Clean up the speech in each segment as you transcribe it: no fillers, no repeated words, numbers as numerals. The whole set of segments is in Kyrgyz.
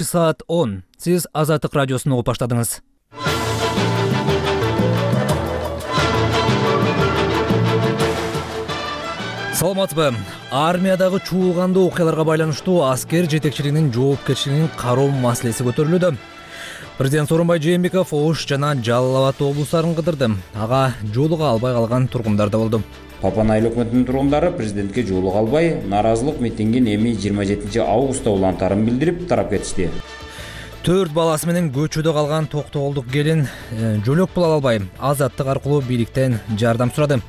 Саат 10. Сиз Азаттык радиосун угуп баштадыңыз. Саламатсызбы? Армиядагы чуулгандуу окуяларга байланыштуу аскер жетекчилигинин жоопкерчилигин кароо маселеси көтөрүлүүдө. Президент Сооронбай Жээнбеков Ош жана Жалал Абад облустарын кыдырды. Ага жолуга албай калган тургундар да болду. Папан айыл өкмөтүнүн тургундары президентке жолуга албай, наразылык митингин эми 27 августта улантарын билдирип тарап кетишти. 4 баласы менен көчөдө калган токтогулдук келин жөлөк пул ала албай, Азаттык аркылуу бийликтен жардам сурады.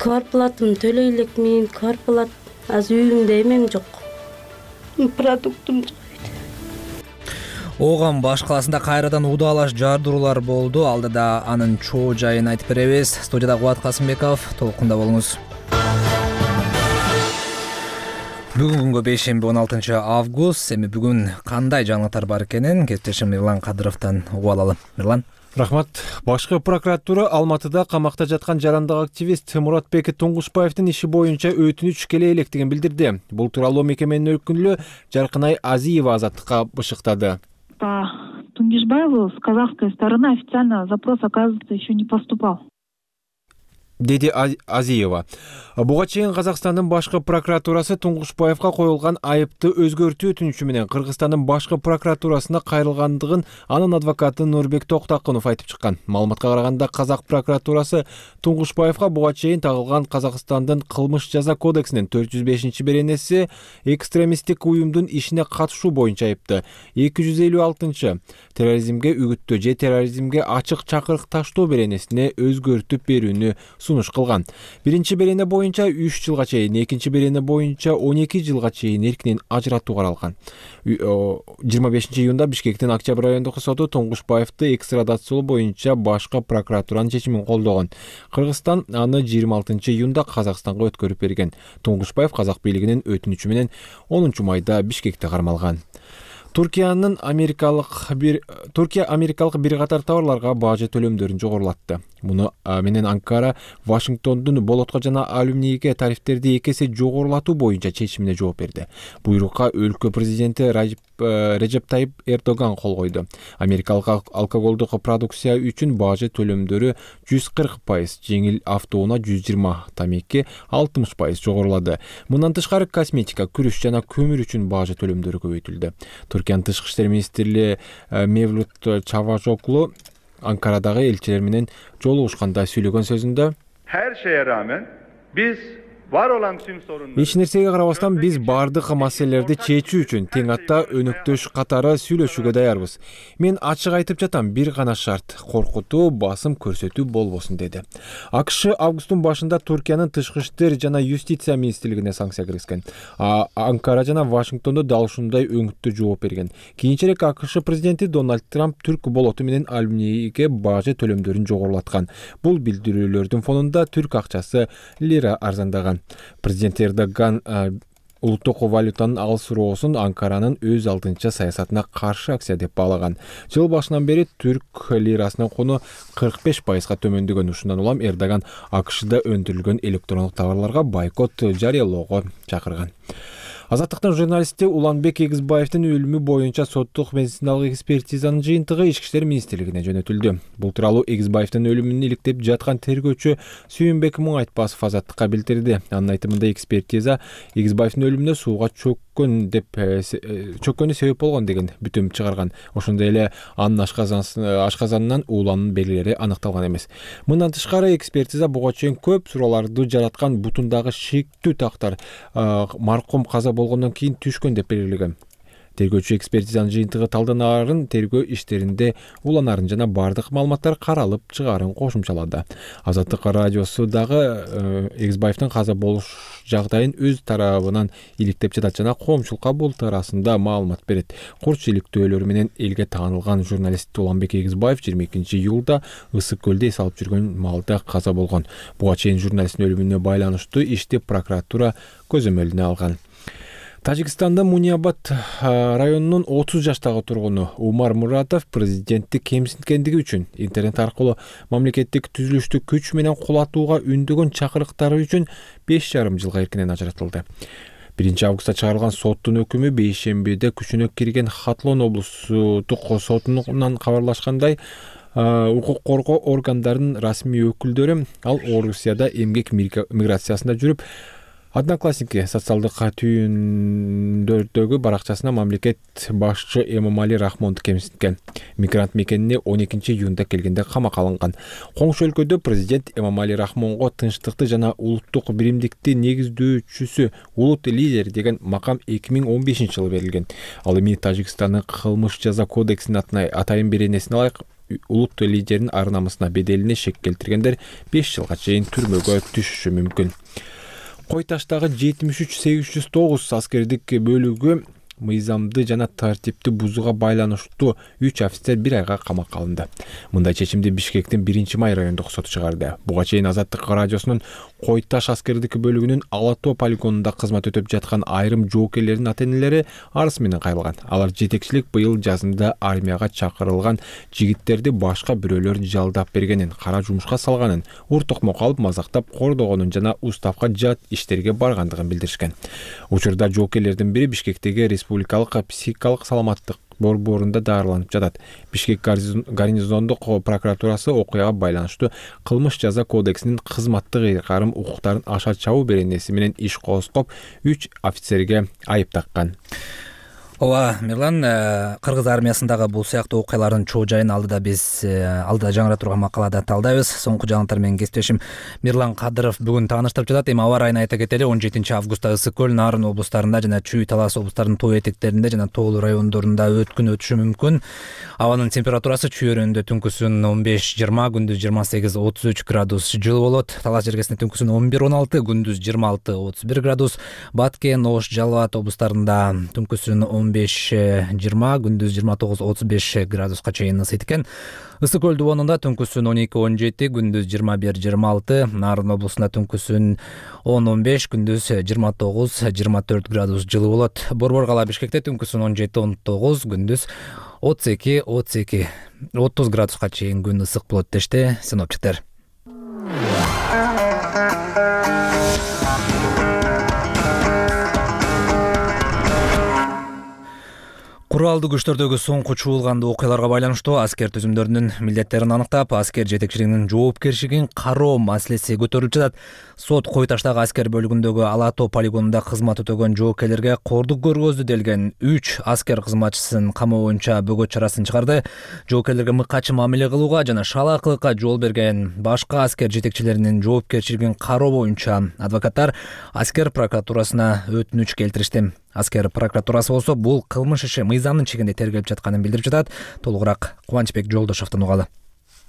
Квартплатымды төлөй элекмин, квартплат азыр үйүмдө эмем жок. Продуктум жок. Ооган баш калаасында кайрадан удаалаш жардыруулар болду. Алда да анын чоо жайын айтып беребиз. Студияда Кубат Касымбеков, толкунда болуңуз. Бүгүнкү күнгө бейшемби 16 август. Эми бүгүн кандай жаңылыктар бар экенин кесиптешим Мирлан Кадыровдон угуп алалы. Мирлан. Рахмат. Башкы прокуратура Алматыда камакта жаткан жарандык активист Муратбек Туңгушбаевдин иши боюнча өтүнүч келе электигин билдирди. Бул тууралуу мекеменин өкүлү Жаркынай Азиева Азаттыкка бышыктады. По Тунгишбаеву с казахской стороны официально запрос, оказывается, еще не поступал. Деди Азиева. Буга чейин Казакстандын башкы прокуратурасы Туңгушбаевга коюлган айыпты өзгөртүү өтүнүчү менен Кыргызстандын башкы прокуратурасына кайрылгандыгын анын адвокаты Нурбек Токтакунов айтып чыккан. Маалыматка караганда Казак прокуратурасы Туңгушбаевга буга чейин тагылган Казакстандын кылмыш жаза кодексинин 405-беренеси экстремисттик уюмдун ишине катышуу боюнча айыпты. 256 терроризмге үгүттөө же терроризмге ачык чакырык таштоо беренесине өзгөртүп берүүнү сунуш кылган. Биринчи берене боюнча 3 жылга чейин, экинчи берене боюнча 12 жылга чейин эркинен ажыратуу каралган. 25-июнда Бишкектин Октябрь райондук соту Туңгушбаевди экстрадациялоо боюнча башкы прокуратуранын чечимин колдогон. Кыргызстан аны 26-июнда Казакстанга өткөрүп берген. Туңгушбаев казак бийлигинин өтүнүчү менен 10 майда Бишкекте кармалган. Туркия америкалык бир катар товарларга бажы төлөмдөрүн жогорулатты. Муну менен Анкара Вашингтондун болотко жана алюминийге тарифтерди 2 эсе жогорулатуу боюнча чечимине жооп берди. Буйрукка өлкө президенти Режеп Тайип Эрдоган кол койду. Америкалык алкоголдук продукция үчүн бажы төлөмдөрү 140%, жеңил автоунаа 120%, тамеки 60% жогорулады. Мындан тышкары косметика, күрүч жана көмүр үчүн бажы төлөмдөрү көбөйтүлдү. Туркиянын тышкы иштер министри Мевлут Чавушоглу Анкарадагы элчилер менен жолугушканда сүйлөгөн сөзүндө her şeye rağmen biz var olan tüm sorunları эч нерсеге карабастан биз бардык маселелерди чечүү үчүн тең атта өнөктөш катары сүйлөшүүгө даярбыз. Мен ачык айтып жатам, бир гана шарт: коркутуу, басым көрсөтүү болбосун, деди. АКШ августтун башында Туркиянын тышкы иштер жана юстиция министрлигине санкция киргизген. Анкара жана Вашингтондо дал ушундай өңүттүү жооп берген. Кийинчерээк АКШ президенти Дональд Трамп түрк болоту менен алюминийге бажы төлөмдөрүн жогорулаткан. Бул билдирүүлөрдүн фонунда түрк акчасы лира арзандаган. Президент Эрдоган улуттук валютанын алсыроосун Анкаранын өз алдынча саясатына каршы акция деп баалаган. Жыл башынан бери түрк лирасынын куну 45%га төмөндөгөн. Ушундан улам Эрдоган АКШда өндүрүлгөн электрондук товарларга бойкот жарыялоого чакырган. Азаттыктын журналисти Уланбек Эгизбаевдин өлүмү боюнча соттук медициналык экспертизанын жыйынтыгы Ички иштер министрлигине жөнөтүлдү. Бул тууралуу Эгизбаевдин өлүмүн иликтеп жаткан тергөөчү Сүйүнбек Муңайтпасов Азаттыкка билдирди. Анын айтымында экспертиза Эгизбаевдин өлүмүнө сууга чөккөнү себеп болгон деген бүтүм чыгарган. Ошондой эле анын ашказанынан ууланын белгилери аныкталган эмес. Мындан тышкары экспертиза буга чейин көп суроолорду жараткан бутундагы шектүү тактар маркум каза болгондон кийин түшкөн деп белгилеген. Тергөөчү экспертизанын жыйынтыгы талданарын тергөө иштеринде уланарын жана бардык маалыматтар каралып чыгаарын кошумчалады. Азаттык радиосу дагы Эгизбаевдин каза болуш жагдайын өз тарабынан иликтеп жатат жана коомчулукка бул туурасында маалымат берет. Курч иликтөөлөрү менен элге таанылган журналист Уланбек Эгизбаев 22-июлда Ысык көлдө эс алып жүргөн маалда каза болгон. Буга чейин журналисттин өлүмүнө байланыштуу ишти прокуратура көзөмөлүнө алган. Тажикстанда Муниабад районунун 30 жаштагы тургуну Умар Муратов президентти кемсинткендиги үчүн интернет аркылуу мамлекеттик түзүлүштү күч менен кулатууга үндөгөн чакырыктары үчүн 5,5 жылга эркинен ажыратылды. 1-августта чыгарылган соттун өкүмү бейшембиде күчүнө кирген Хатлон облустук сотунан кабарлашкандай, укук коргоо органдарынын расмий өкүлдөрү ал Орусияда эмгек миграциясында жүрүп, Одноклассники социалдык түйүндөрдөгү баракчасына мамлекет башчы Эмомали Рахмонду кемситкен. Мигрант мекенине 12-июнда келгенде камакка алынган. Коңшу өлкөдө президент Эмомали Рахмонго тынчтыкты жана улуттук биримдикти негиздөөчүсү, улут лидери деген макам 2015-жылы берилген. Ал эми Тажикстандын кылмыш жаза кодексинин атайын беренесине ылайык улут лидеринин ар-намысына беделине шек келтиргендер 5 жылга чейин түрмөгө түшүшү мүмкүн. Кой таштагы 73-809 аскердик бөлүгү мыйзамды жана тартипти бузууга байланыштуу 3 офицер 1 айга камакка алынды. Мындай чечимди Бишкектин 1-май райондук соту чыгарды. Буга чейин Азаттык радиосунун Кой таш аскердик бөлүгүнүн Ала-Тоо полигонунда кызмат өтөп жаткан айрым жоокерлердин ата-энелери арыз менен кайрылган. Алар жетекчилик быйыл жазында армияга чакырылган жигиттерди башка бирөөлөр жалдап бергенин, кара жумушка салганын, ур-токмок алып мазактап кордогонун жана уставка жат иштерге баргандыгын билдиришкен. Учурда жоокерлердин бири Бишкектеги Республикалык психикалык саламаттык борборунда даарыланып жатат. Бишкек гарнизондук прокуратурасы окуяга байланыштуу кылмыш жаза кодексинин кызматтык ыйгарым укуктарын аша чабуу беренеси менен иш козгоп, 3 офицерге айып таккан. Ооба, Мирлан, Кыргыз армиясындагы бул сыяктуу окуялардын чоо жайын алдыда жаңыра турган макалада талдайбыз. Соңку жаңылыктар менен кесиптешим Мирлан Кадыров бүгүн тааныштырып жатат. Эми аба райын айта кетели, 17-августта Ысык көл, Нарын облустарында жана Чүй, Талас облустарынын тоо этектеринде жана тоолуу райондорунда өткүн өтүшү мүмкүн. Абанын температурасы Чүй өрөөнүндө түнкүсүн 15-20, күндүз 28-33 градус жылы болот. Талас жергесинде түнкүсүн 11-16, күндүз 26-31 градус. Баткен, Ош, Жалал Абад облустарында түнкүсүн 15-20, күндүз 29-35 градуска чейин ысыйт экен. Ысык көл дубонунда түнкүсүн 12-17, күндүз 21-26, Нарын облусунда түнкүсүн 10-15, күндүз 29-24 градус жылы болот. Борбор кала Бишкекте түнкүсүн 17-19, күндүз 32-30 градуска чейин күн ысык болот дешти синоптиктер. Куралдуу күчтөрдөгү соңку чуулгандуу окуяларга байланыштуу аскер түзүмдөрүнүн милдеттерин аныктап, аскер жетекчилигинин жоопкерчилигин кароо маселеси көтөрүлүп жатат. Сот Кой таштагы аскер бөлүгүндөгү Ала-Тоо полигонунда кызмат өтөгөн жоокерлерге кордук көргөздү делген 3 аскер кызматчысын камоо боюнча бөгөт чарасын чыгарды. Жоокерлерге мыкачы мамиле кылууга жана шалаакылыкка жол берген башка аскер жетекчилеринин жоопкерчилигин кароо боюнча адвокаттар аскер прокуратурасына өтүнүч келтиришти. Аскер прокуратурасы болсо бул кылмыш иши мыйзамдын чегинде тергелип жатканын билдирип жатат. Толугураак Кубанычбек Жолдошовдон угалы.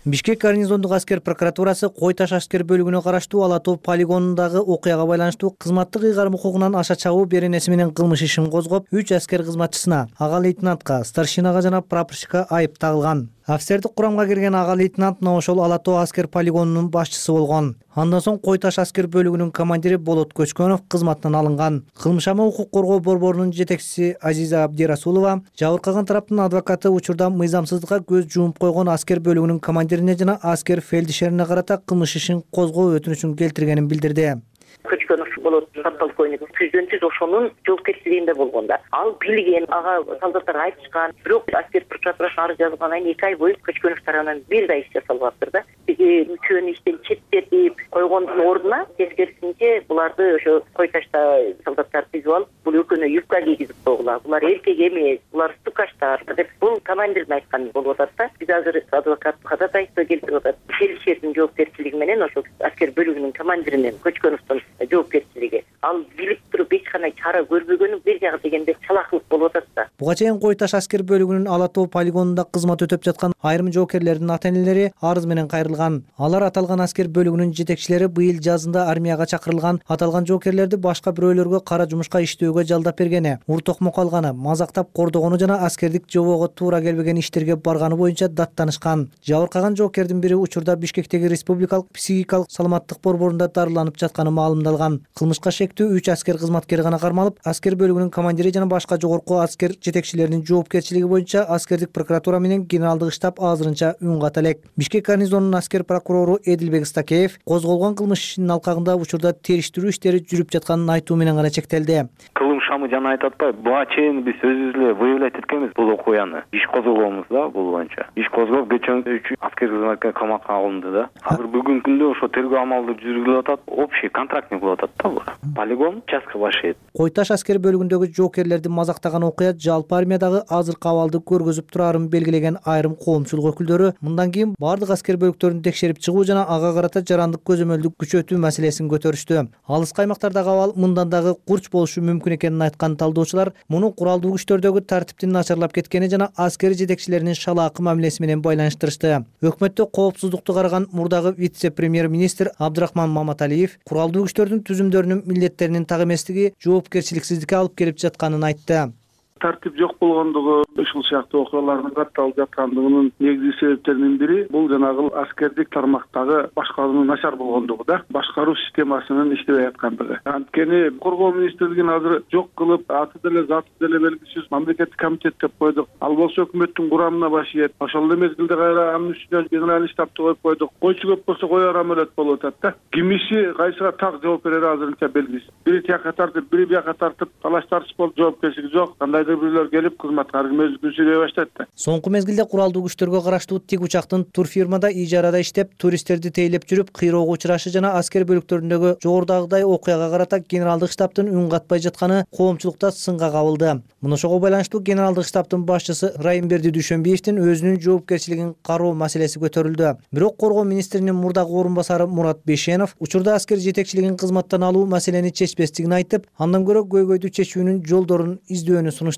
Бишкек гарнизондук аскер прокуратурасы Кой таш аскер бөлүгүнө караштуу Ала-Тоо полигонундагы окуяга байланыштуу кызматтык ыйгарым укугунан аша чабуу беренеси менен кылмыш ишин козгоп, 3 аскер кызматчысына, ага лейтенантка, старшинага жана прапорщикка айып тагылган. Офицердик курамга кирген ага лейтенант мына ошол Ала-Тоо аскер полигонунун башчысы болгон. Андан соң Кой таш аскер бөлүгүнүн командири Болот Көчкөнов кызматтан алынган. Кылмышама укук коргоо борборунун жетекчиси Азиза Абдирасулова жабыркаган тараптын адвокаты учурда мыйзамсыздыкка көз жумуп койгон аскер бөлүгүнүн командирине жана аскер фельдшерине карата кылмыш ишин козгоо өтүнүчүн келтиргенин билдирди. Көчкөнов болот подполковник түздөн-түз ошонун жоопкерчилигинде болгондар. Ал билген, ага солдаттар айтышкан, бирок аскер прокуратурасына арыз жазылгандан кийин 2 ай бою Көчкөнов тарабынан бир да иш жасалбаптыр да. Биги үчөөнү иштен четтетип койгондун ордуна тескерисинче буларды ошо Кой ташта солдаттар түзүп алып, бул экөөнө юбка кийгизип койгула. Булар эркек эмес, булар стукаштар деп бул командирдин айтканы болуп атат да. Биз азыр адвокат ходатайство келтирип атат. Фельдшердин жоопкерчилиги менен ошо аскер бөлүгүнүн командиринин Көчкөновдун жоопкерчилиги. Ал билип туруп эч кандай чара көрбөгөнү бир жагы дегенде чалакылык болуп атат да. Буга чейин Кой таш аскер бөлүгүнүн Ала-Тоо полигонунда кызмат өтөп жаткан айрым жоокерлердин ата-энелери арыз менен кайрылган. Алар аталган аскер бөлүгүнүн жетекчилери быйыл жазында армияга чакырылган аталган жоокерлерди башка бирөөлөргө кара жумушка иштөөгө жалдап бергени, ур-токмок алганы, мазактап кордогону жана аскердик жобого туура келбеген иштерге барганы боюнча даттанышкан. Жабыркаган жоокердин бири учурда Бишкектеги Республикалык психикалык саламаттык борборунда дарыланып жатканы маалымдалган. Кылмышка шектүү 3 аскер кызматкери гана кармалып, аскер бөлүгүнүн командири жана башка жогорку аскер жетекчилеринин жоопкерчилиги боюнча аскердик прокуратура менен генералдык штаб азырынча үн ката элек. Бишкек гарнизонунун аскер прокурору Эдилбек Стакеев козголгон кылмыш ишинин алкагында учурда териштирүү иштери жүрүп жатканын айтуу менен гана чектелди. Кылым шамы жана айтып атпайбы, буга чейин биз өзүбүз эле выявлять эткенбиз бул окуяны. Иш козголгонбуз да бул боюнча. Иш козголуп кечээ 3 аскер кызматкер камакка алынды да. Азыр бүгүнкү күндө ошо тергөө амалдары жүргүзүлүп атат. Общий контрактник болуп атат да бул. Полигон участка башыйт. Кой Таш аскер бөлүгүндөгү жоокерлерди мазактаган окуя жалпы армиядагы азыркы абалды көргөзүп турарын белгилеген айрым коомчулук өкүлдөрү мындан кийин бардык аскер бөлүктөрүн текшерип чыгуу жана ага карата жарандык көзөмөлдү күчөтүү маселесин көтөрүштү. Алыскы аймактардагы абал мындан дагы курч болушу мүмкүн экенин айткан талдоочулар муну куралдуу күчтөрдөгү тартиптин начарлап кеткени жана аскер жетекчилеринин шалаакы мамилеси менен байланыштырышты. Өкмөттө коопсуздукту караган мурдагы вице-премьер-министр Абдрахман Маматалиев куралдуу күчтөрдүн түзүмдөрүнүн милдеттеринин так эместиги жоопкерчиликсиздикке алып келип жатканын айтты. Тартип жок болгондугу, ушул сыяктуу окуялардын катталып жаткандыгынын негизги себептеринин бири бул жанагы аскердик тармактагы башкаруунун начар болгондугу да, башкаруу системасынын иштебей аткандыгы. Анткени коргоо министрлигин азыр жок кылып, аты деле заты деле белгисиз мамлекеттик комитет деп койдук. Ал болсо өкмөттүн курамына башыйт. Ошол эле мезгилде кайра анын үстүнө генеральный штабты коюп койдук. Койчу көп болсо кояр амелет болуп атат да. Ким иши кайсыга так жооп берери азырынча белгисиз. Бири тияка тартып, бири бияка тартып, талаш тартыш болуп жоопкерчилик жок. Кандайдыр бирлер келип кызматка аргымөздүк сүйлөй баштайт да. Соңку мезгилде куралдуу күчтөргө караштуу тик учактын турфирмада ижарада иштеп, туристтерди тейлеп жүрүп, кыйроого учурашы жана аскер бөлүктөрүндөгү жогорудагыдай окуяга карата генералдык штабтын үн катпай жатканы коомчулукта сынга кабылды. Муну ошого байланыштуу генералдык штабтын башчысы Райымберди Дүйшөнбиевдин өзүнүн жоопкерчилигин кароо маселеси көтөрүлдү. Бирок коргоо министринин мурдагы орун басары Мурат Бешенов учурда аскер жетекчилигин кызматтан алуу маселени чечпестигин айтып, андан көрө көйгөйдү чечүүнүн жолдорун издөөнү сунуштады.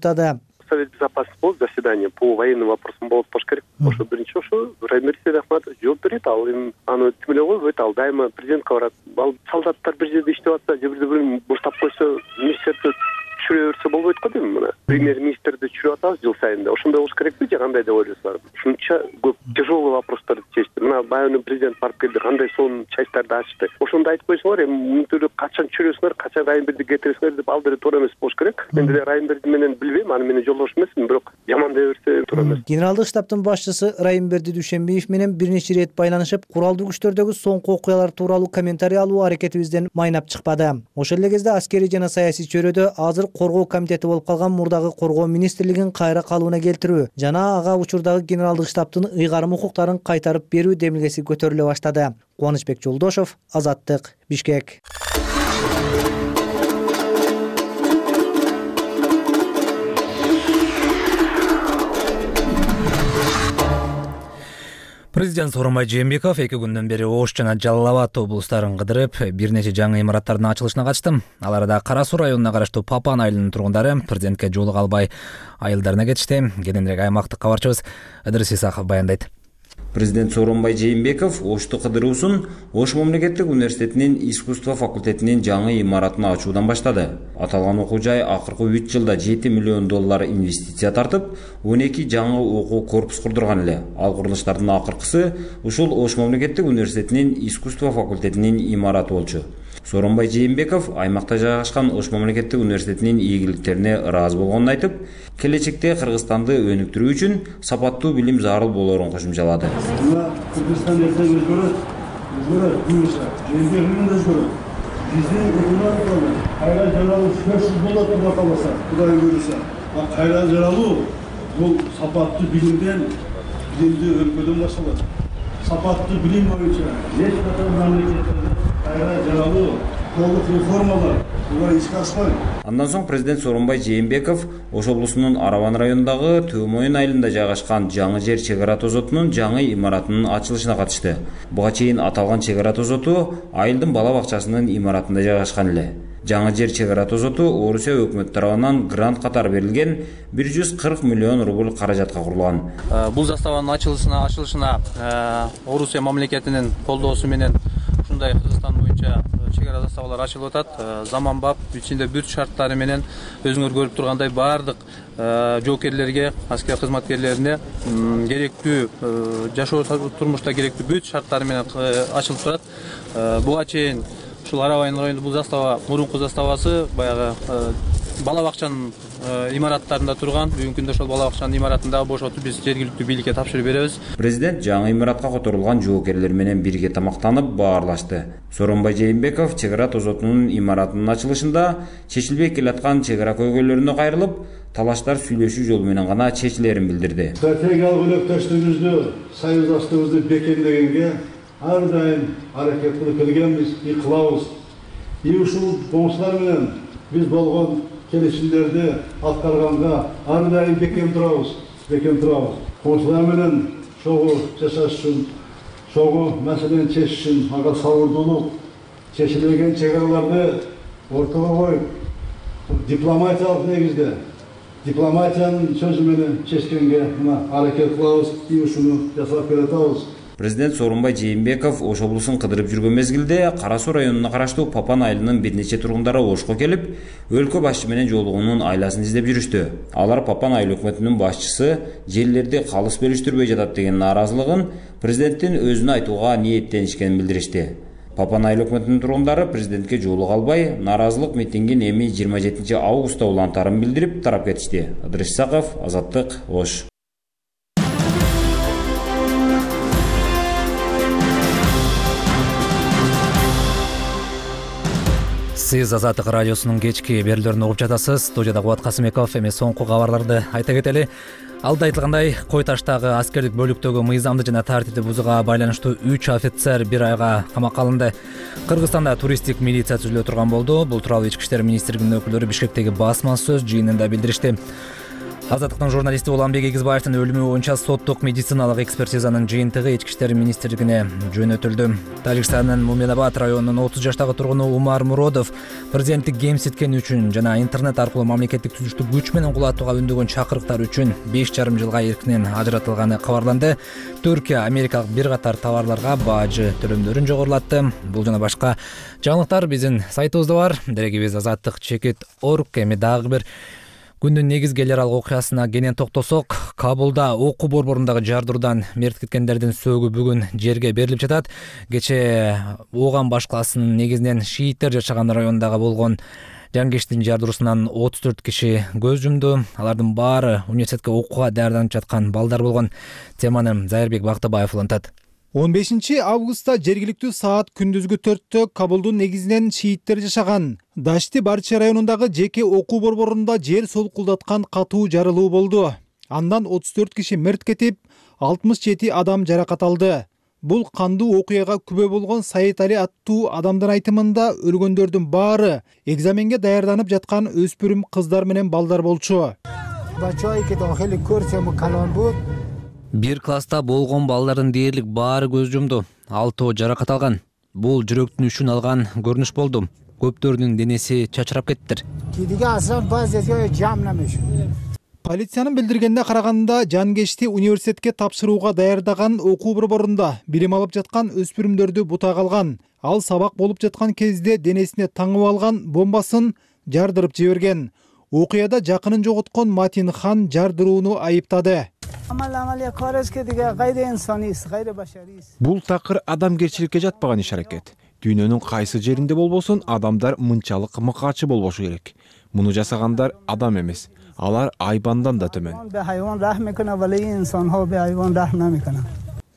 Совет безопасности болуп заседание по военным вопросам болуп болуш керек. Ошо биринчи ошо Райымберди Ахматов жооп берет, ал эми аны тим эле койбойт, ал дайыма президентке барат. Ал солдаттар бир жерде иштеп атса, же бирин буштап койсо, министрде түшүрө берсе болбойт го дейм мына. Премьер-министрди түшүрүп атабыз жыл сайында. Ошондой болуш керекпи же кандай деп ойлойсуздар? Ушунча көп тяжелый вопростарды чечти. Мына баягы президент барып келди, кандай сонун частьтарды ачты. Ошондо айтып койсоңор, эми мынтип качан түшүрөсүңөр, качан Райымберди кетиресиңер деп ал деле туура эмес болуш керек. Мен деле Райымберди менен билбейм, аны менен жолдош эмесмин, бирок жаман дей берсе туура эмес. Генералдык штабтын башчысы Райымберди Дүйшөнбиев менен бир нече ирет байланышып, куралдуу күчтөрдөгү соңку окуялар тууралуу комментарий алуу аракетибизден майнап чыкпады. Ошол эле кезде аскерий жана саясий чөйрөдө азыр коргоо комитети болуп калган мурдагы коргоо министрлигин кайра калыбына келтирүү жана ага учурдагы генералдык штабтын ыйгарым укуктарын кайтарып берүү демилгеси көтөрүлө баштады. Кубанычбек Жолдошов, Азаттык, Бишкек. Президент Сооронбай Жээнбеков 2 күндөн бери Ош жана Жалал Абад облустарын кыдырып, бир нече жаңы имараттардын ачылышына катышты. Ал арада Кара Суу районуна караштуу Папан айылынын тургундары президентке жоолуга албай айылдарына кетишти. Кененирээк аймактык кабарчыбыз Ыдырыс Исаков баяндайт. Президент Сооронбай Жээнбеков Ошту кыдыруусун Ош мамлекеттик университетинин искусство факультетинин жаңы имаратын ачуудан баштады. Аталган окуу жай акыркы 3 жылда $7 миллион инвестиция тартып, 12 жаңы окуу корпус курдурган эле. Ал курулуштардын акыркысы ушул Ош мамлекеттик университетинин искусство факультетинин имараты болчу. Сооронбай Жээнбеков аймакта жайгашкан Ош мамлекеттик университетинин ийгиликтерине ыраазы болгонун айтып, келечекте Кыргызстанды өнүктүрүү үчүн сапаттуу билим зарыл болоорун кошумчалады. Кыргызстан өзгөрөт, буюрса, Жээнбековдун өзгөрөт. Биздин өкмөт кайра жаралуу сөзсүз болот деп калбаса, Кудай буюрса, кайра жаралуу бул сапаттуу билимден, билимди өлкөдөн башталат. Сапаттуу билим боюнча эч кандай мамлекеттерде кайра жаралуу толук реформалар булар ишке ашпайт. Андан соң президент Сооронбай Жээнбеков Ош облусунун Араван районундагы Төмөйүн айылында жайгашкан жаңы жер чек ара тозотунун жаңы имаратынын ачылышына катышты. Буга чейин аталган чек ара тозоту айылдын бала бакчасынын имаратында жайгашкан эле. Жаңы жер чек ара тозоту Орусия өкмөтү тарабынан грант катары берилген 140 миллион рубль каражатка курулган. Бул заставанын ачылышына Орусия мамлекетинин колдоосу менен ушундай Кыргызстан боюнча чек ара заставалар ачылып атат. Заманбап, ичинде бүт шарттары менен өзүңөр көрүп тургандай баардык жоокерлерге, аскер кызматкерлерине керектүү жашоо турмушта керектүү бүт шарттары менен ачылып турат. Буга чейин Ушул Арабайын районунда бул застава мурунку заставасы баягы бала бакчанын имараттарында турган. Бүгүнкү күндө ошол бала бакчанын имаратында бошотуп биз жергиликтүү бийликке тапшырып беребиз. Президент жаңы имаратка которулган жоокерлер менен бирге тамактанып баарлашты. Сооронбай Жээнбеков чек ара тозотунун имаратынын ачылышында чечилбей келаткан чек ара көйгөйлөрүнө кайрылып, талаштар сүйлөшүү жолу менен гана чечилерин билдирди. Стратегиялык өнөктөштүгүбүздү, союздаштыгыбызды бекемдегенге ар дайым аракет кылып келгенбиз, кылабыз. Ушул коңшулар менен биз болгон келишимдерди аткарганга ар дайым бекем турабыз. Коңшулар менен чогуу жашаш үчүн, чогуу маселени чечиш үчүн ага сабырдуулук, чечилбеген чек араларды ортого коюп, дипломатиялык негизде, дипломатиянын сөзү менен чечкенге мына аракет кылабыз, ушуну жасап беребиз. Президент Сооронбай Жээнбеков Ош облусун кыдырып жүргөн мезгилде Кара Суу районуна караштуу Папан айылынын бир нече тургундары Ошко келип, өлкө башчысы менен жолугуунун айласын издеп жүрүштү. Алар Папан айыл өкмөтүнүн башчысы жерлерди калыс бөлүштүрбөй жатат деген нааразылыгын президенттин өзүнө айтууга ниеттенишкенин билдиришти. Папан айыл өкмөтүнүн тургундары президентке жолуга албай, нааразылык митингин эми 27 августта улантарын билдирип тарап кетишти. Ыдырыш Исаков, Азаттык, Ош. Сиз Азаттык радиосунун кечки берүүлөрүн угуп жатасыз. Студияда Кубат Касымбеков. Эми соңку кабарларды айта кетели. Алда айтылгандай, Кой Таштагы аскердик бөлүктөгү мыйзамды жана тартипти бузууга байланыштуу 3 офицер 1 айга камакка алынды. Кыргызстанда туристтик милиция түзүлө турган болду. Бул тууралуу Ички иштер министрлигинин өкүлдөрү Бишкектеги басма сөз жыйынында билдиришти. Азаттыктын журналисти Уланбек Эгизбаевдин өлүмү боюнча соттук медициналык экспертизанын жыйынтыгы Ички иштер министрлигине жөнөтүлдү. Тажикстандын Муминабад районунун 30 жаштагы тургуну Умар Муродов президенттик кемситкени үчүн жана интернет аркылуу мамлекеттик түзүштү күч менен кулатууга үндөгөн чакырыктар үчүн 5,5 жылга эркинен ажыратылганы кабарланды. Түркия америкалык бир катар товарларга бажы төлөмдөрүн жогорулатты. Бул жана башка жаңылыктар биздин сайтыбызда бар. Дерегибиз azattik.org. Эми дагы бир күндүн негизгелер алгы окуясына кенен токтосок, Кабулда окуу борборундагы жардыруудан мерт кеткендердин сөөгү бүгүн жерге берилип жатат. Кече Ооган башкаласынын негизинен шииттер жашаган райондагы болгон жангештин жардыруусунан 34 киши көз жумду. Алардын баары университетке окууга даярданып жаткан балдар болгон. Теманы Зайырбек Бактыбаев улантат. 15 августта жергиликтүү саат күндүзгү 4-тө Кабулдун негизинен шииттер жашаган Дашти Барчи районундагы жеке окуу борборунда жер солкулдаткан катуу жарылуу болду. Андан 34 киши мерт кетип, 67 адам жаракат алды. Бул кандуу окуяга күбө болгон Саид Али аттуу адамдын айтымында өлгөндөрдүн баары экзаменге даярданып жаткан өспүрүм кыздар менен балдар болчу. Бир класста болгон балдардын дээрлик баары көз жумду. 6 жаракат алган. Бул жүрөктүн үчүн алган көрүнүш болду. Көптөрүнүн денеси чачырап кеттир. Полициянын билдиргенине караганда, жангешти университетке тапшырууга даярдаган окуу борборунда билим алып жаткан өспүрүмдөрдү бутак алган. Ал сабак болуп жаткан кезде денесине таңып алган бомбасын жардырып жиберген. Окуяда жакынын жоготкон Матин Хан жардырууну айыптады. Бул такыр адамгерчиликке жатпаган иш-аракет. Дүйнөнүн кайсы жеринде болбосун, адамдар мынчалык мыкаачы болбошу керек. Муну жасагандар адам эмес. Алар айбандан да төмөн.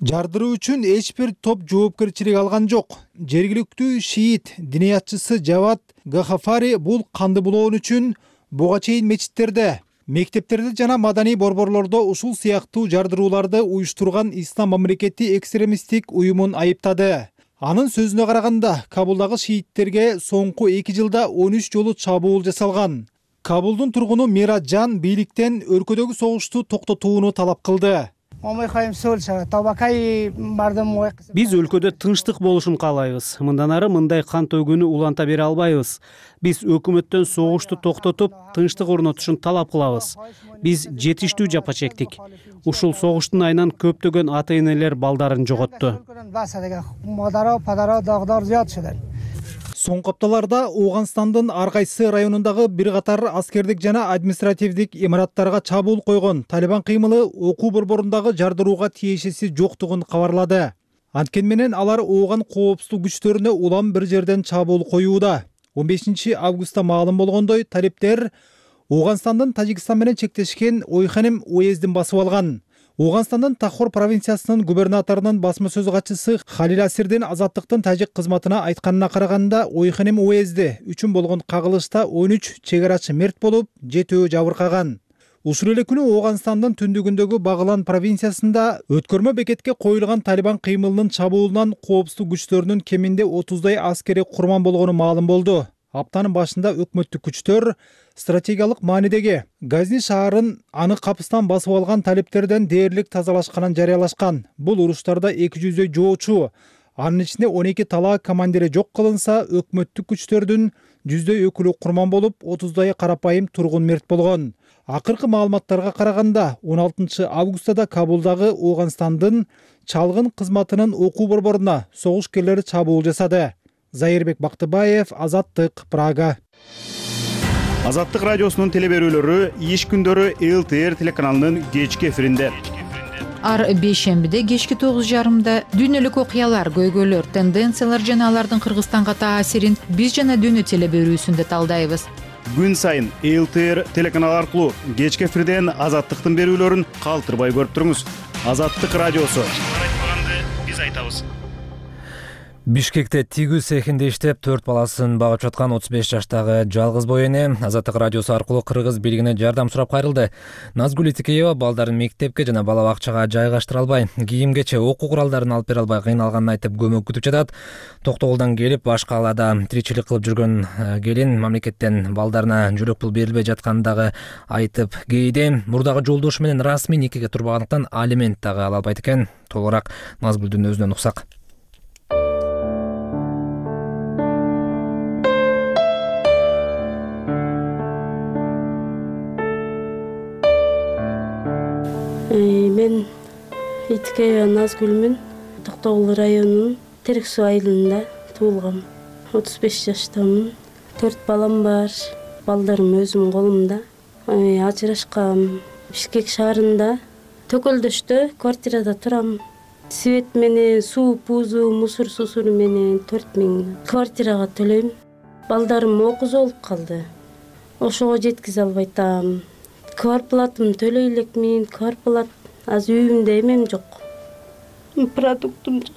Жардыруу үчүн эч бир топ жоопкерчилик алган жок. Жергиликтүү шиит диниятчысы Жават Гахафари бул канды булоон үчүн буга чейин мечиттерде, мектептерде жана маданий борборлордо ушул сыяктуу жардырууларды уюштурган ислам мамлекети экстремисттик уюмун айыптады. Анын сөзүнө караганда, Кабулдагы шииттерге соңку 2 жылда 13 жолу чабуул жасалган. Кабулдун тургуну Мираджан бийликтен өлкөдөгү согушту токтотууну талап кылды. Биз өлкөдө тынчтык болушун каалайбыз. Мындан ары мындай кан төгүүнү уланта бере албайбыз. Биз өкмөттөн согушту токтотуп, тынчтык орнотушун талап кылабыз. Биз жетиштүү жапа чектик. Ушул согуштун айынан көптөгөн ата-энелер балдарын жоготту. Соңку апталарда Ооганстандын ар кайсы районундагы бир катар аскердик жана административдик имараттарга чабуул койгон Талибан кыймылы окуу борборундагы жардырууга тиешеси жоктугун кабарлады. Анткени менен алар ооган коопсуздук күчтөрүнө улам бир жерден чабуул коюуда. 15 августта маалым болгондой, талиптер Ооганстандын Тажикстан менен чектешкен Ойханим уездин басып алган. Ооганстандын Тахор провинциясынын губернаторунун басма сөз катчысы Халил Асирдин Азаттыктын тажик кызматына айтканына караганда, Ойханим уезди үчүн болгон кагылышта 13 чегарачы мерт болуп, 7 жабыркаган. Ушул эле күнү Ооганстандын түндүгүндөгү Багылан провинциясында өткөрмө бекетке коюлган Талибан кыймылынын чабуулунан коопсуздук күчтөрүнүн кеминде 30дай аскери курман болгону маалым болду. Аптанын башында өкмөттүк күчтөр стратегиялык маанидеги Газни шаарын аны капыстан басып алган талиптерден дээрлик тазалашканын жарыялашкан. Бул уруштарда 200дөй жоочу, анын ичинде 12 талаа командири жок кылынса, өкмөттүк күчтөрдүн 100дөй өкүлү курман болуп, 30дай карапайым тургун мерт болгон. Акыркы маалыматтарга караганда, 16 августада Кабулдагы Ооганстандын чалгын кызматынын окуу борборуна согушкерлери чабуул жасады. Зайырбек Бактыбаев, Азаттык, Прага. Азаттык радиосунун телеберүүлөрү иш күндөрү ЛТР телеканалынын кечки эфиринде. Ар бейшембиде кечки 9:30 дүйнөлүк окуялар, көйгөйлөр, тенденциялар жана алардын Кыргызстанга таасирин биз жана дүйнө телеберүүсүндө талдайбыз. Күн сайын ЛТР телеканалы аркылуу кечки эфирден Азаттыктын берүүлөрүн калтырбай көрүп туруңуз. Азаттык радиосу. Биз айтабыз. Бишкекте тигүү цехинде иштеп 4 баласын багып жаткан 35 жаштагы жалгыз бой эне Азаттык радиосу аркылуу кыргыз бийлигине жардам сурап кайрылды. Назгүл Итикеева балдарын мектепке жана бала бакчага жайгаштыра албай, кийимгече окуу куралдарын алып бере албай кыйналганын айтып көмөк күтүп жатат. Токтогулдан келип баш калаада тиричилик кылып жүргөн келин мамлекеттен балдарына жөлөк пул берилбей жатканын дагы айтып кейде мурдагы жолдошу менен расмий никеге турбагандыктан алимент дагы ала албайт экен. Толугураак Назгүлдүн өзүнөн уксак. Мен Итикеева Назгүлмүн. Токтогул районунун Терек суу айылында туулгам. 35 жаштамын. 4 балам бар. Балдарым өзүмдүн колумда. Ажырашкам. Бишкек шаарында Төкөлдөштө квартирада турам. Свет менен, суу, пузу, мусор сусуру менен 4000 квартирага төлөйм. Балдарым окуз болуп калды. Ошого жеткизе албай атам. Квартплатым төлөй элекмин, квартплат азыр үйүмдө эмем жок. Продуктум жок.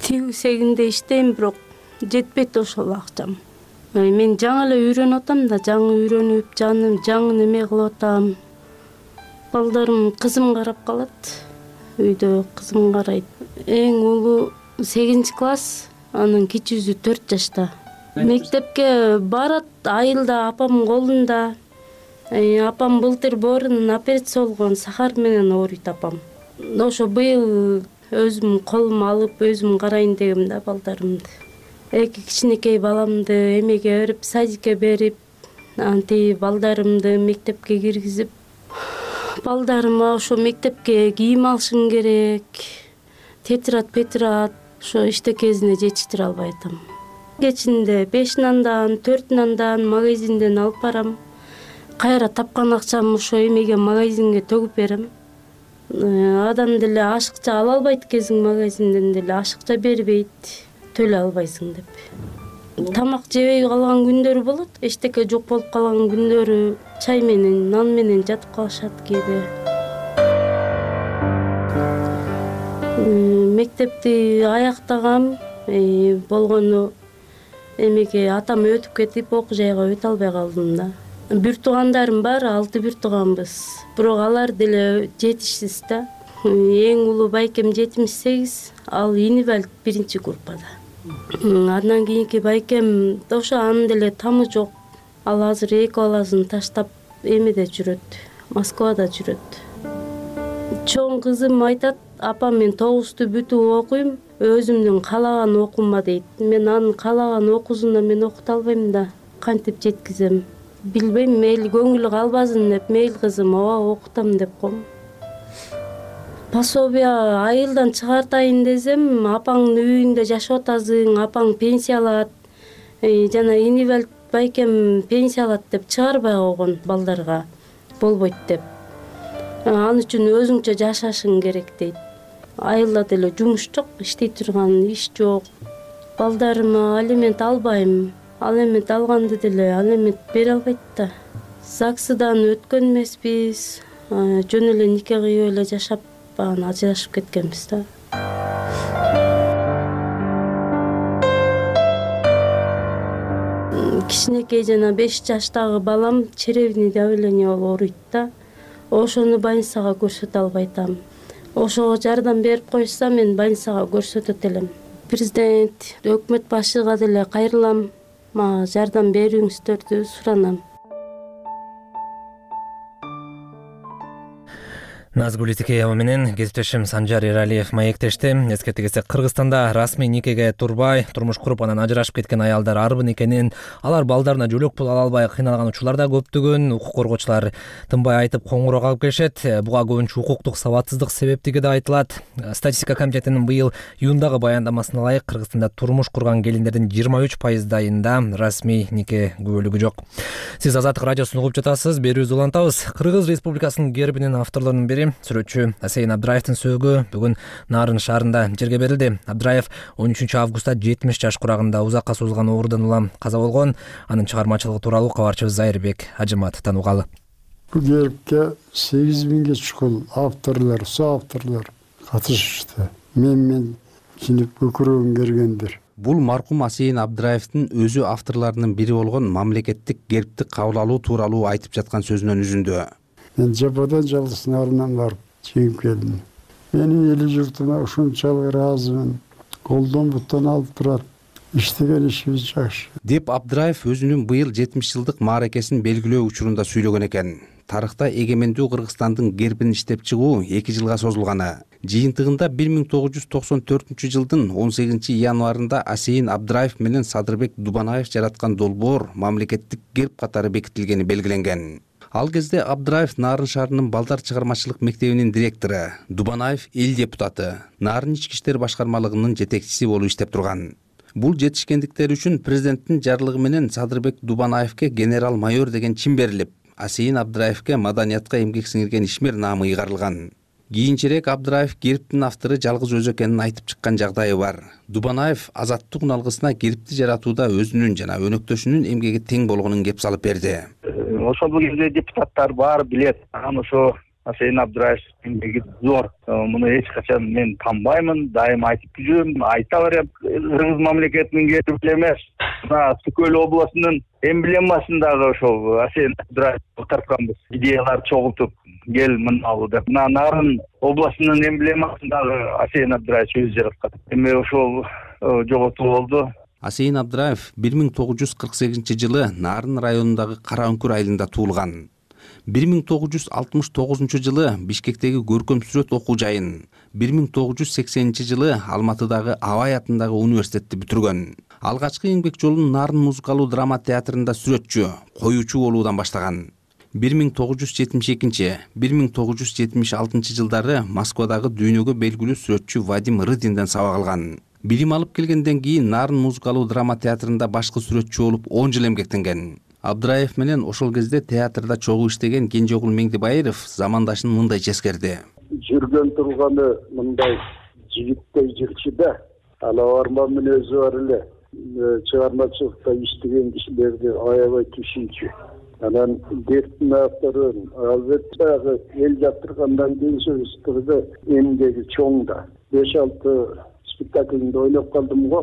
Тигүү цехинде иштейм, бирок жетпейт ошол акчам. Мен жаңы эле үйрөнүп атам да, жаңы үйрөнүп, жаңы неме кылып атам. Балдарым кызым карап калат. Үйдө кызым карайт. Эң улуу 8 класс, анын кичүүсү 4 жашта. Мектепке барат, айылда апамдын колунда. Апам былтыр боорунун операция болгон, сахар менен ооруйт апам. Ошо быйыл өзүм колум алып, өзүм карайын дегем да балдарымды. Эки кичинекей баламды эмеге берип, садикке берип, анти балдарымды мектепке киргизип, балдарыма ошо мектепке кийим алышым керек. Тетират, петрат, ошо иштекесине жетиштире албай атам. Кечинде 5 нандан, 4 нандан магазинден алып барам. Кайра тапкан акчам ошо эмеге магазинге төгүп берем. Адам деле ашыкча ала албайт экенсиң, магазинден деле ашыкча бербейт, төлөй албайсың деп. Тамак жебей калган күндөрү болот, эчтеке жок болуп калган күндөрү чай менен, нан менен жатып калышат кээде. Мектепти аяктагам, болгону эмеге атам өтүп кетип, окуу жайга өтө албай калдым да. Бир туугандарым бар, 6 бир тууганбыз. Бирок алар деле жетишсиз да. Эң улуу байкем 78, ал инвалид 1 группада. Андан кийинки байкем ошо анын деле тамы жок. Ал азыр 2 баласын таштап эмеде жүрөт, Москвада жүрөт. Чоң кызым айтат, апам мен 9-ту бүтүп окуйм, өзүмдүн каалаган окуума дейт. Мен анын каалаган окуусуна мен окута албайм да, кантип жеткизем? Билбейм, мейли көңүлү калбасын деп, мейли кызым, ооба окутам деп коем. Пособие айылдан чыгартайын десем, апаңдын үйүндө жашап атасың, апаң пенсия алат, жана инвалид байкем пенсия алат деп чыгарбай койгон балдарга болбойт деп. Ал үчүн өзүңчө жашашың керек дейт. Айылда деле жумуш жок, иштей турган иш жок. Балдарыма алимент албайм. Алимент алганды деле алимент бере албайт да. ЗАГСыдан өткөн эмеспиз. Жөн эле нике кыйып эле жашап, анан ажырашып кеткенбиз да. Кичинекей жана 5 жаштагы балам черевный давление болуп ооруйт да. Ошону больницага көрсөтө албайтам. Ошого жардам берип койса, мен больницага көрсөтөт элем. Президент, өкмөт башыга деле кайрылам. Мага жардам берүүңүздөрдү суранам. Назгүл Итикеева менен кесиптешим Санжар Эралиев маектешти. Эскерте кетсек, Кыргызстанда расмий никеге турбай, турмуш куруп анан ажырашып кеткен аялдар арбын экенин, алар балдарына жөлөк пул ала албай кыйналган учурлар да көптөгөн. Укук коргоочулар тынбай айтып коңгуроо калып келишет. Буга көбүнчө укуктук сабатсыздык себептиги да айтылат. Статистика комитетинин быйыл июндагы баяндамасына ылайык Кыргызстанда турмуш курган келиндердин 23%дайында расмий нике күбөлүгү жок. Сиз Азаттык радиосун угуп жатасыз. Берүүбүздү улантабыз. Кыргыз Республикасынын гербинин авторлорунун бири сүрөтчү Асейин Абдраевдин сөөгү бүгүн Нарын шаарында жерге берилди. Абдраев 13 августта 70 жаш курагында узакка созулган оорудан улам каза болгон. Анын чыгармачылыгы тууралуу кабарчыбыз Зайырбек Ажымат танугалы. Бул гербке 8000ге чукул авторлор, соавторлор катышышты. Мен кинип көкүрөгүм кергендир. Бул маркум Асейин Абдраевдин өзү авторлорунун бири болгон мамлекеттик гербти кабыл алуу тууралуу айтып жаткан сөзүнөн үзүндү. Мен жападан жалгыз Нарынан барып чегип келдим. Менин эли журтума ушунчалык ыраазымын. Колдон буттан алып турат. Иштеген ишибиз жакшы. Деп Абдраев өзүнүн быйыл 70 жылдык мааракесин белгилөө учурунда сүйлөгөн экен. Тарыхта эгемендүү Кыргызстандын гербин иштеп чыгуу 2 жылга созулганы. Жыйынтыгында 1994 жылдын 18 январында Асейин Абдраев менен Садырбек Дубанаев жараткан долбоор мамлекеттик герб катары бекитилгени белгиленген. Ал кезде Абдраев Нарын шаарынын балдар чыгармачылык мектебинин директору, Дубанаев эл депутаты, Нарын ички иштер башкармалыгынын жетекчиси болуп иштеп турган. Бул жетишкендиктери үчүн президенттин жарлыгы менен Садырбек Дубанаевке генерал-майор деген чин берилип, Асейин Абдраевке маданиятка эмгек сиңирген ишмер наамы ыйгарылган. Кийинчерээк Абдраев гербтин автору жалгыз өзү экенин айтып чыккан жагдайы бар. Дубанаев азаттык уналгысына гербти жаратууда өзүнүн жана өнөктөшүнүн эмгеги тең болгонун кеп салып берди. Ошол кезде депутаттар баары билет. Анан ошо Асейин Абдраевдин эмгеги зор. Муну эч качан мен танбаймын, дайым айтып жүрөм, айта берем. Кыргыз мамлекетинин герби эмес. Мына Түкөл областынын эмблемасындагы ошол Асейин Абдраев тартканбыз. Идеялар чогултуп кел мынабу деп. Мына Нарын областынын эмблемасындагы Асейин Абдраев өзү жараткан. Эми ошол жоготуу болду. Асейин Абдраев 1948 жылы Нарын районундагы Кара Үңкүр айылында туулган. 1969 жылы Бишкектеги көркөм сүрөт окуу жайын, 1980 жылы Алматыдагы Абай атындагы университетти бүтүргөн. Алгачкы эмгек жолун Нарын музыкалуу драма театрында сүрөтчү, коюучу болуудан баштаган. 1972-1976 жылдары Москвадагы дүйнөгө белгилүү сүрөтчү Вадим Рыдинден сабак алган. Билим алып келгенден кийин Нарын музыкалуу драма театрында башкы сүрөтчү болуп 10 жыл эмгектенген. Абдраев менен ошол кезде театрда чогуу иштеген Кенжеогул Меңдибаиров замандашын мындай ческерди. Жүргөн турганы мындай жигиттей жырчы да, аларма мүнөзү бар эле. Чыгармачылыкта иштеген кишилерди аябай түшүнчү. Анан гербтин авторун албетте эл жактыргандан кийин сөзүбүздө эмгеги чоң да. 5-6 спектакльде ойноп калдым го.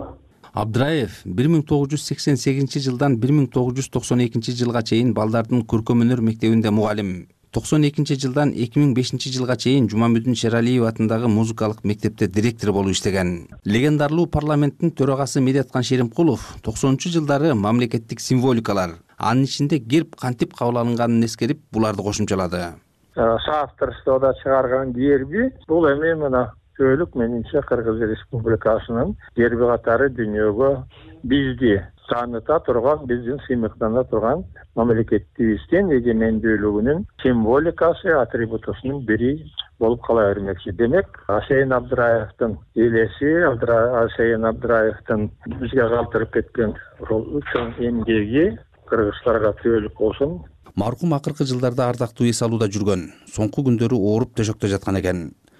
Абдраев 1988 жылдан 1992 жылга чейин балдардын көркөм өнөр мектебинде мугалим. 92 жылдан 2005 жылга чейин Жумамүдүн Шералиев атындагы музыкалык мектепте директор болуп иштеген. Легендарлуу парламенттин төрагасы Медеткан Шеримкулов 90 жылдары мамлекеттик символикалар, анын ичинде герб кантип кабыл алынганын эскерип, буларды кошумчалады. Соавторствода чыгарган герби бул эми мына көйлүк менимче Кыргыз Республикасынын герби катары дүйнөгө бизди тааныта турган, биздин сыймыктана турган мамлекетибиздин эгемендүүлүгүнүн символикасы, атрибутусунун бири болуп кала бермекчи. Демек, Асейин Абдраевдин элеси, Асейин Абдраевдин бизге калтырып кеткен чоң эмгеги кыргыздарга түбөлүк болсун. Маркум акыркы жылдарда ардактуу эс алууда жүргөн. Соңку күндөрү ооруп төшөктө жаткан экен.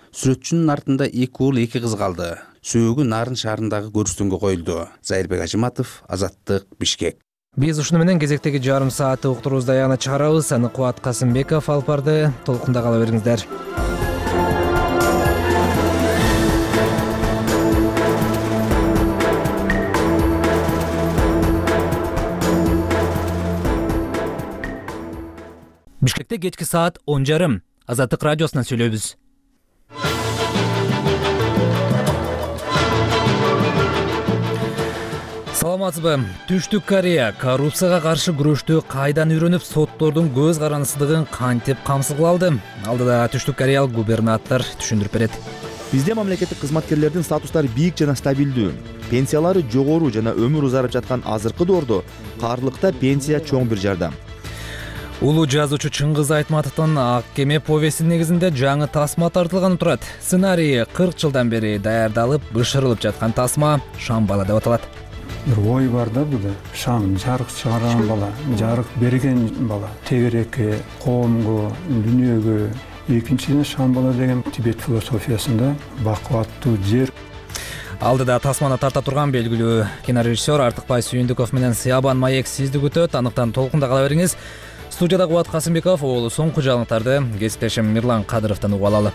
Сүрөтчүнүн артында 2 уул 2 кыз калды. Сөөгү Нарын шаарындагы көрүстөнгө коюлду. Зайырбек Ажиматов, Азаттык, Бишкек. Биз ушуну менен кезектеги жарым саатты уктуруубузду аягына чыгарабыз. Аны Кубат Касымбеков алып барды. Толкунда кала бериңиздер. Бишкекте кечки саат 10:30. Азаттык радиосунан сүйлөйбүз. Саламатсызбы? Түштүк Корея коррупцияга каршы күрөштү кайдан үйрөнүп, соттордун көз карандысыздыгын кантип камсыз кыла алды? Алдыда Түштүк Кореялык губернатор түшүндүрүп берет. Бизде мамлекеттик кызматкерлердин статустары бийик жана стабилдүү. Пенсиялары жогору жана өмүр узарып жаткан азыркы доордо каарлыкта пенсия чоң бир жардам. Улуу жазуучу Чыңгыз Айтматовдун Ак кеме повестин негизинде жаңы тасма тартылганы турат. Сценарий 40 жылдан бери даярдалып, бышырылып жаткан тасма Шамбала деп аталат. Бир ой бар да буда. Шам жарык чыгарган бала, жарык берген бала, тегерекке, коомго, дүйнөгө. Экинчиден Шамбала деген Тибет философиясында бакуаттуу жер. Алдыда тасманы тарта турган белгилүү кинорежиссер Артыкбай Сүйүндүков менен Сыябан Маек сизди күтөт. Аныктан толкунда кала бериңиз. Студияда Кубат Касымбеков, ол соңку жаңылыктарды кесиптешим Мирлан Кадыровдон угуп алалы.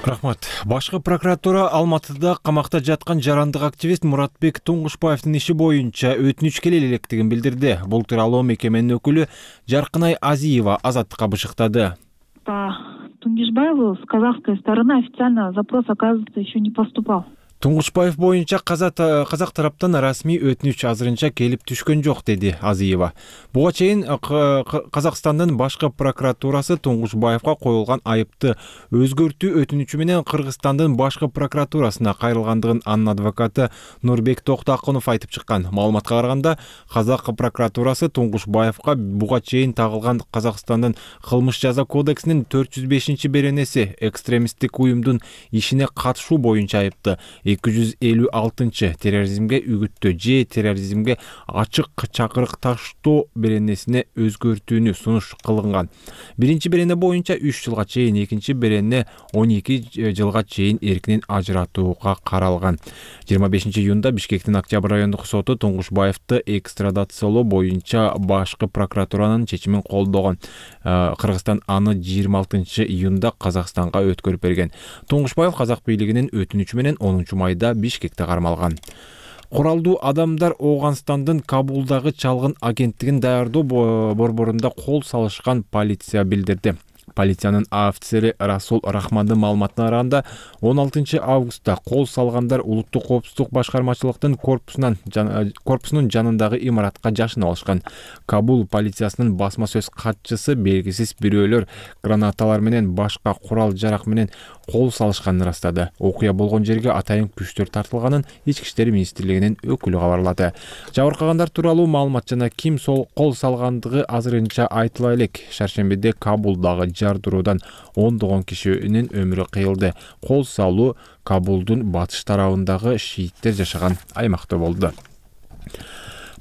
Рахмат. Башкы прокуратура Алматыда камакта жаткан жарандык активист Муратбек Туңгушбаевдин иши боюнча өтүнүч келе электигин билдирди. Бул тууралуу мекеменин өкүлү Жаркынай Азиева Азаттыкка бышыктады. По Тунгишбаеву с казахской стороны официально запрос, оказывается, еще не поступал. Туңгушбаев боюнча казак тараптан расмий өтүнүч азырынча келип түшкөн жок, деди Азиева. Буга чейин Казакстандын башкы прокуратурасы Туңгушбаевга коюлган айыпты өзгөртүү өтүнүчү менен Кыргызстандын башкы прокуратурасына кайрылгандыгын анын адвокаты Нурбек Токтакунов айтып чыккан. Маалыматка караганда, казак прокуратурасы Туңгушбаевга буга чейин тагылган Казакстандын кылмыш жаза кодексинин 405-беренеси экстремисттик уюмдун ишине катышуу боюнча айыпты 256 терроризмге үгүттөө же терроризмге ачык чакырык таштоо беренесине өзгөртүүнү сунуш кылынган. Биринчи берене боюнча 3 жылга чейин, экинчи берене 12 жылга чейин эркинен ажыратууга каралган. 25-июнда Бишкектин Октябрь райондук соту Туңгушбаевди экстрадациялоо боюнча башкы прокуратуранын чечимин колдогон. Кыргызстан аны 26-июнда Казакстанга өткөрүп берген. Туңгушбаев казак бийлигинин өтүнүчү менен 10 майда Бишкекте кармалган. Куралдуу адамдар Ооганстандын Кабулдагы чалгын агенттигин даярдоо борборунда кол салышкан полиция билдирди. Полициянын офицери Расул Рахмандын маалыматына караганда, 16 августта кол салгандар улуттук коопсуздук башкармачылыктын корпусунун жанындагы имаратка жашынып алышкан. Кабул полициясынын басма сөз катчысы белгисиз бирөөлөр гранаталар менен башка курал-жарак менен кол салышканын ырастады. Окуя болгон жерге атайын күчтөр тартылганын Ички иштер министрлигинин өкүлү кабарлады. Жабыркагандар тууралуу маалымат жана ким кол салгандыгы азырынча айтыла элек. Шаршембиде Кабулдагы жардыруудан ондогон кишинин өмүрү кыйылды. Кол салуу Кабулдун батыш тарабындагы шииттер жашаган аймакта болду.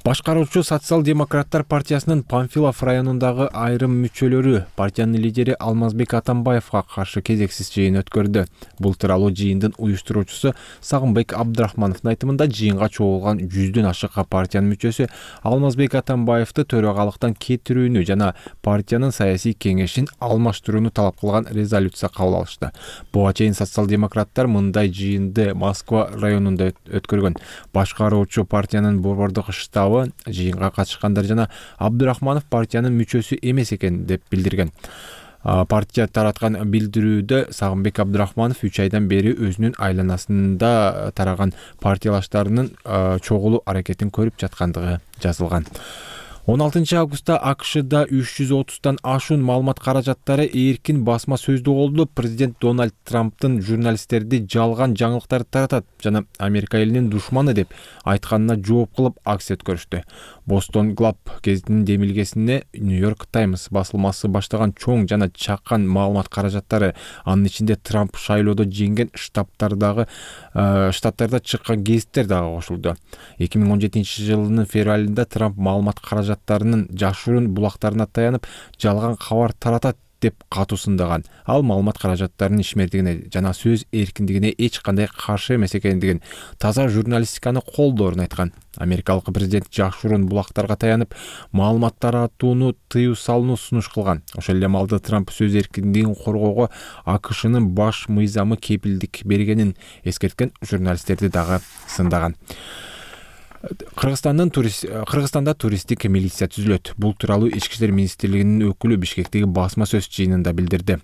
Башкаруучу социал-демократтар партиясынын Панфилов районундагы айрым мүчөлөрү партиянын лидери Алмазбек Атамбаевга каршы кезексиз жыйын өткөрдү. Бул тууралуу жыйындын уюштуруучусу Сагынбек Абдрахмановдун айтымында жыйынга чогулган 100дөн ашык партиянын мүчөсү Алмазбек Атамбаевди төрагалыктан кетирүүнү жана партиянын саясий кеңешин алмаштырууну талап кылган резолюция кабыл алышты. Буга чейин социал-демократтар мындай жыйынды Москва районунда өткөргөн. Башкаруучу партиянын борбордук штабы жыйынга катышкандар жана Абдрахманов партиянын мүчөсү эмес экен деп билдирген. Партия тараткан билдирүүдө Сагынбек Абдрахманов 3 айдан бери өзүнүн айланасында тараган партиялаштарынын чогулуу аракетин көрүп жаткандыгы жазылган. 16 августта АКШда 330тан ашуун маалымат каражаттары эркин басма сөздүү болду. Президент Дональд Трамптын журналисттерди жалган жаңылыктарды таратат жана Америка элинин душманы деп айтканына жооп кылып акция өткөрүштү. Boston Globe гезитинин демилгесине Нью-Йорк Таймс басылмасы баштаган чоң жана чакан маалымат каражаттары, анын ичинде Трамп шайлоодо жеңген штаттарда чыккан гезиттер дагы кошулду. 2017 жылынын февралында Трамп маалымат каражаттарынын жашыруун булактарына таянып, жалган кабар таратат деп катуу сындаган. Ал маалымат каражаттарынын ишмердигине жана сөз эркиндигине эч кандай каршы эмес экендигин, таза журналистиканы колдоорун айткан. Америкалык президент жашыруун булактарга таянып, маалымат таратууну тыюу салууну сунуш кылган. Ошол эле маалда Трамп сөз эркиндигин коргоого АКШнын баш мыйзамы кепилдик бергенин эскерткен журналисттерди дагы сындаган. Кыргызстанда туристтик милиция түзүлөт. Бул тууралуу Ички иштер министрлигинин өкүлү Бишкектеги басма сөз жыйынында билдирди.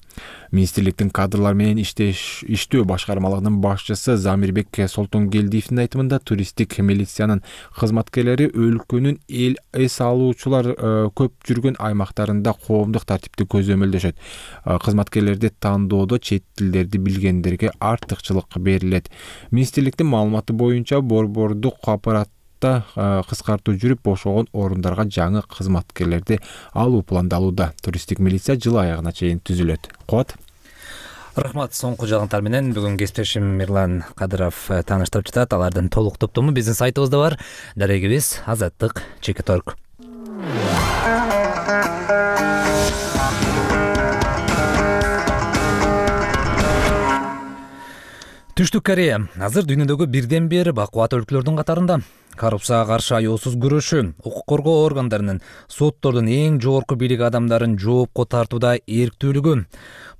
Министрликтин кадрлар менен иштөө башкармалыгынын башчысы Замирбек Солтонгелдиевдин айтымында, туристтик милициянын кызматкерлери өлкөнүн эс алуучулар көп жүргөн аймактарында коомдук тартипти көзөмөлдөшөт. Кызматкерлерди тандоодо чет тилдерди билгендерге артыкчылык берилет. Министрликтин маалыматы боюнча борбордук аппарат кыскартуу жүрүп, бошогон орундарга жаңы кызматкерлерди алуу пландалууда. Туристтик милиция жыл аягына чейин түзүлөт. Куат. Рахмат. Соңку жаңылыктар менен бүгүн кесиптешим Мирлан Кадыров тааныштырып жатат. Алардын толук топтому биздин сайтыбызда бар. Дарегибиз azattik.org. Түштүк Корея азыр дүйнөдөгү бирден бир бакубат өлкөлөрдүн катарында. Коррупцияга каршы аяосуз күрөшүү, укук коргоо органдарынын, соттордун эң жогорку бийлик адамдарын жоопко тартууда эрктүүлүгү,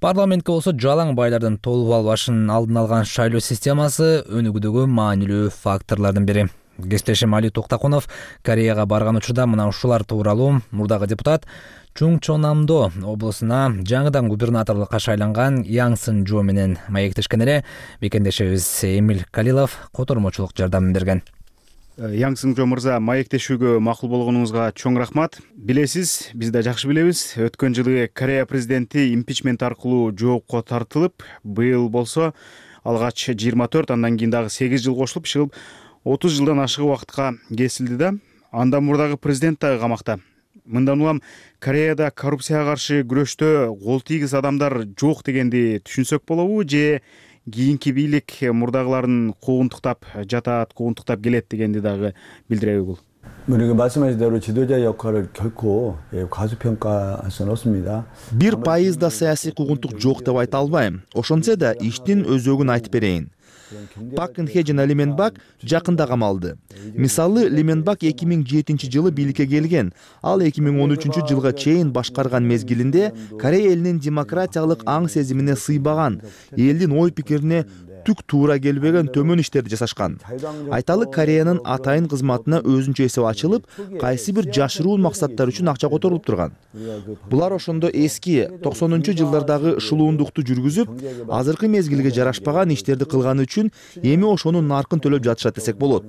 парламентке болсо жалаң байлардын толуп албашын алдын алган шайлоо системасы өнүгүүдөгү маанилүү факторлордун бири. Кесиптешим Али Токтакунов Кореяга барган учурда мына ушулар тууралуу мурдагы депутат Чунгчонамдо облусуна жаңыдан губернаторлукка шайланган Яңсын Жо менен маектешкен эле. Бекендешибиз Эмил Калилов котормочулук жардам берген. Яңсын Жо мырза, маектешүүгө макул болгонуңузга чоң рахмат. Билесиз, биз да жакшы билебиз, өткөн жылы Корея президенти импичмент аркылуу жоопко тартылып, быйыл болсо алгач 24, андан кийин дагы 8 жыл кошулуп, чыгып 30 жылдан ашык убакытка кесилди да. Андан мурдагы президент дагы камакта. Мындан улам Кореяда коррупцияга каршы күрөштө кол тийгиз адамдар жок дегенди түшүнсөк болобу, же кийинки бийлик мурдагыларын куугунтуктап жатат, куугунтуктап келет дегенди дагы билдиреби бул? 우리가 말씀하신 대로 지도자 역할을 결코 과소평가할 수는 없습니다. 1% саясий куугунтук жок деп айта албайм. Ошончо да иштин өзөгүн айтып берейин. Пак Кын-хе жана Ли Мен-бак жакында камалды. Мисалы, Ли Мен-бак 2007 жылы бийликке келген. Ал 2013 жылга чейин башкарган мезгилинде Корея элинин демократиялык аң сезимине сыйбаган, элдин ой пикирине түк туура келбеген төмөн иштерди жасашкан. Айталы, Кореянын атайын кызматына өзүнчө эсеп ачылып, кайсы бир жашыруун максаттар үчүн акча которулуп турган. Булар ошондо эски 90-жылдардагы шулуундукту жүргүзүп, азыркы мезгилге жарашпаган иштерди кылганы үчүн эми ошонун наркын төлөп жатышат десек болот.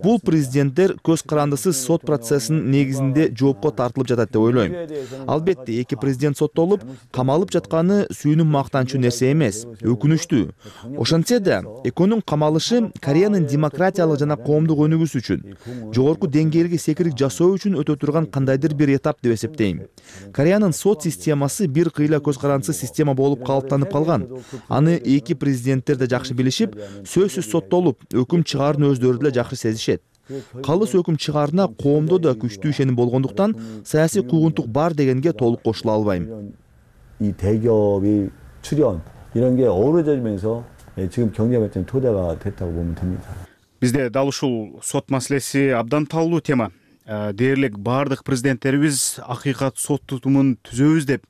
Бул президенттер көз карандысыз сот процессинин негизинде жоопко тартылып жатат деп ойлойм. Албетте, эки президент соттолуп, камалып жатканы сүйүнүп мактанчу нерсе эмес, өкүнүчтүү. Ошентсе да, экөөнүн камалышы Кореянын демократиялык жана коомдук өнүгүүсү үчүн, жогорку деңгээлге секирик жасоо үчүн өтө турган кандайдыр бир этап деп эсептейм. Кореянын сот системасы бир кыйла көз карандысыз система болуп калыптанып калган. Аны эки президенттер да жакшы билишип, сөзсүз соттолуп, өкүм чыгаарын өздөрү деле жакшы сезишет. Калыс өкүм чыгаарына коомдо да күчтүү ишеним болгондуктан саясий куугунтук бар дегенге толук кошула албайм. 이 대기업이 출연 이런 게 어우러지면서 지금 경제 발전 토대가 됐다고 보면 됩니다. Бизде дал ушул сот маселеси абдан таалуу тема. Дээрлик бардык президенттерибиз акыйкат сот тутумун түзөбүз деп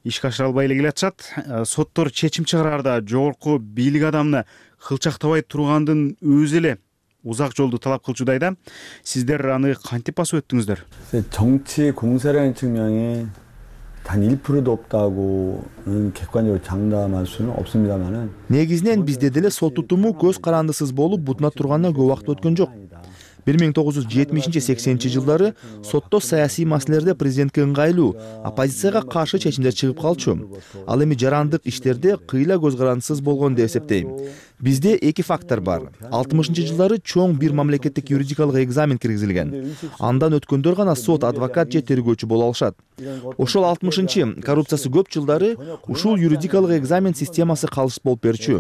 ишке ашыра албай эле келатышат. Соттор чечим чыгараарда жогорку бийлик адамына кылчактабай тургандын өзү эле узак жолду талап кылчудай да. Сиздер аны кантип басып өттүңүздөр? 정치 공세라는 측면이 단 1%도 없다고는 객관적으로 장담할 수는 없습니다만은 негизинен бизде деле сот тутуму көз карандысыз болуп бутуна турганына көп убакыт өткөн жок. 1970-80 жылдары сотто саясий маселелерде президентке ыңгайлуу, оппозицияга каршы чечимдер чыгып калчу. Ал эми жарандык иштерде кыйла көз карандысыз болгон деп эсептейм. Бизде эки фактор бар. 60-жылдары чоң бир мамлекеттик юридикалык экзамен киргизилген. Андан өткөндөр гана сот, адвокат же тергөөчү боло алышат. Ошол 60 коррупциясы көп жылдары ушул юридикалык экзамен системасы калыс болуп берчү.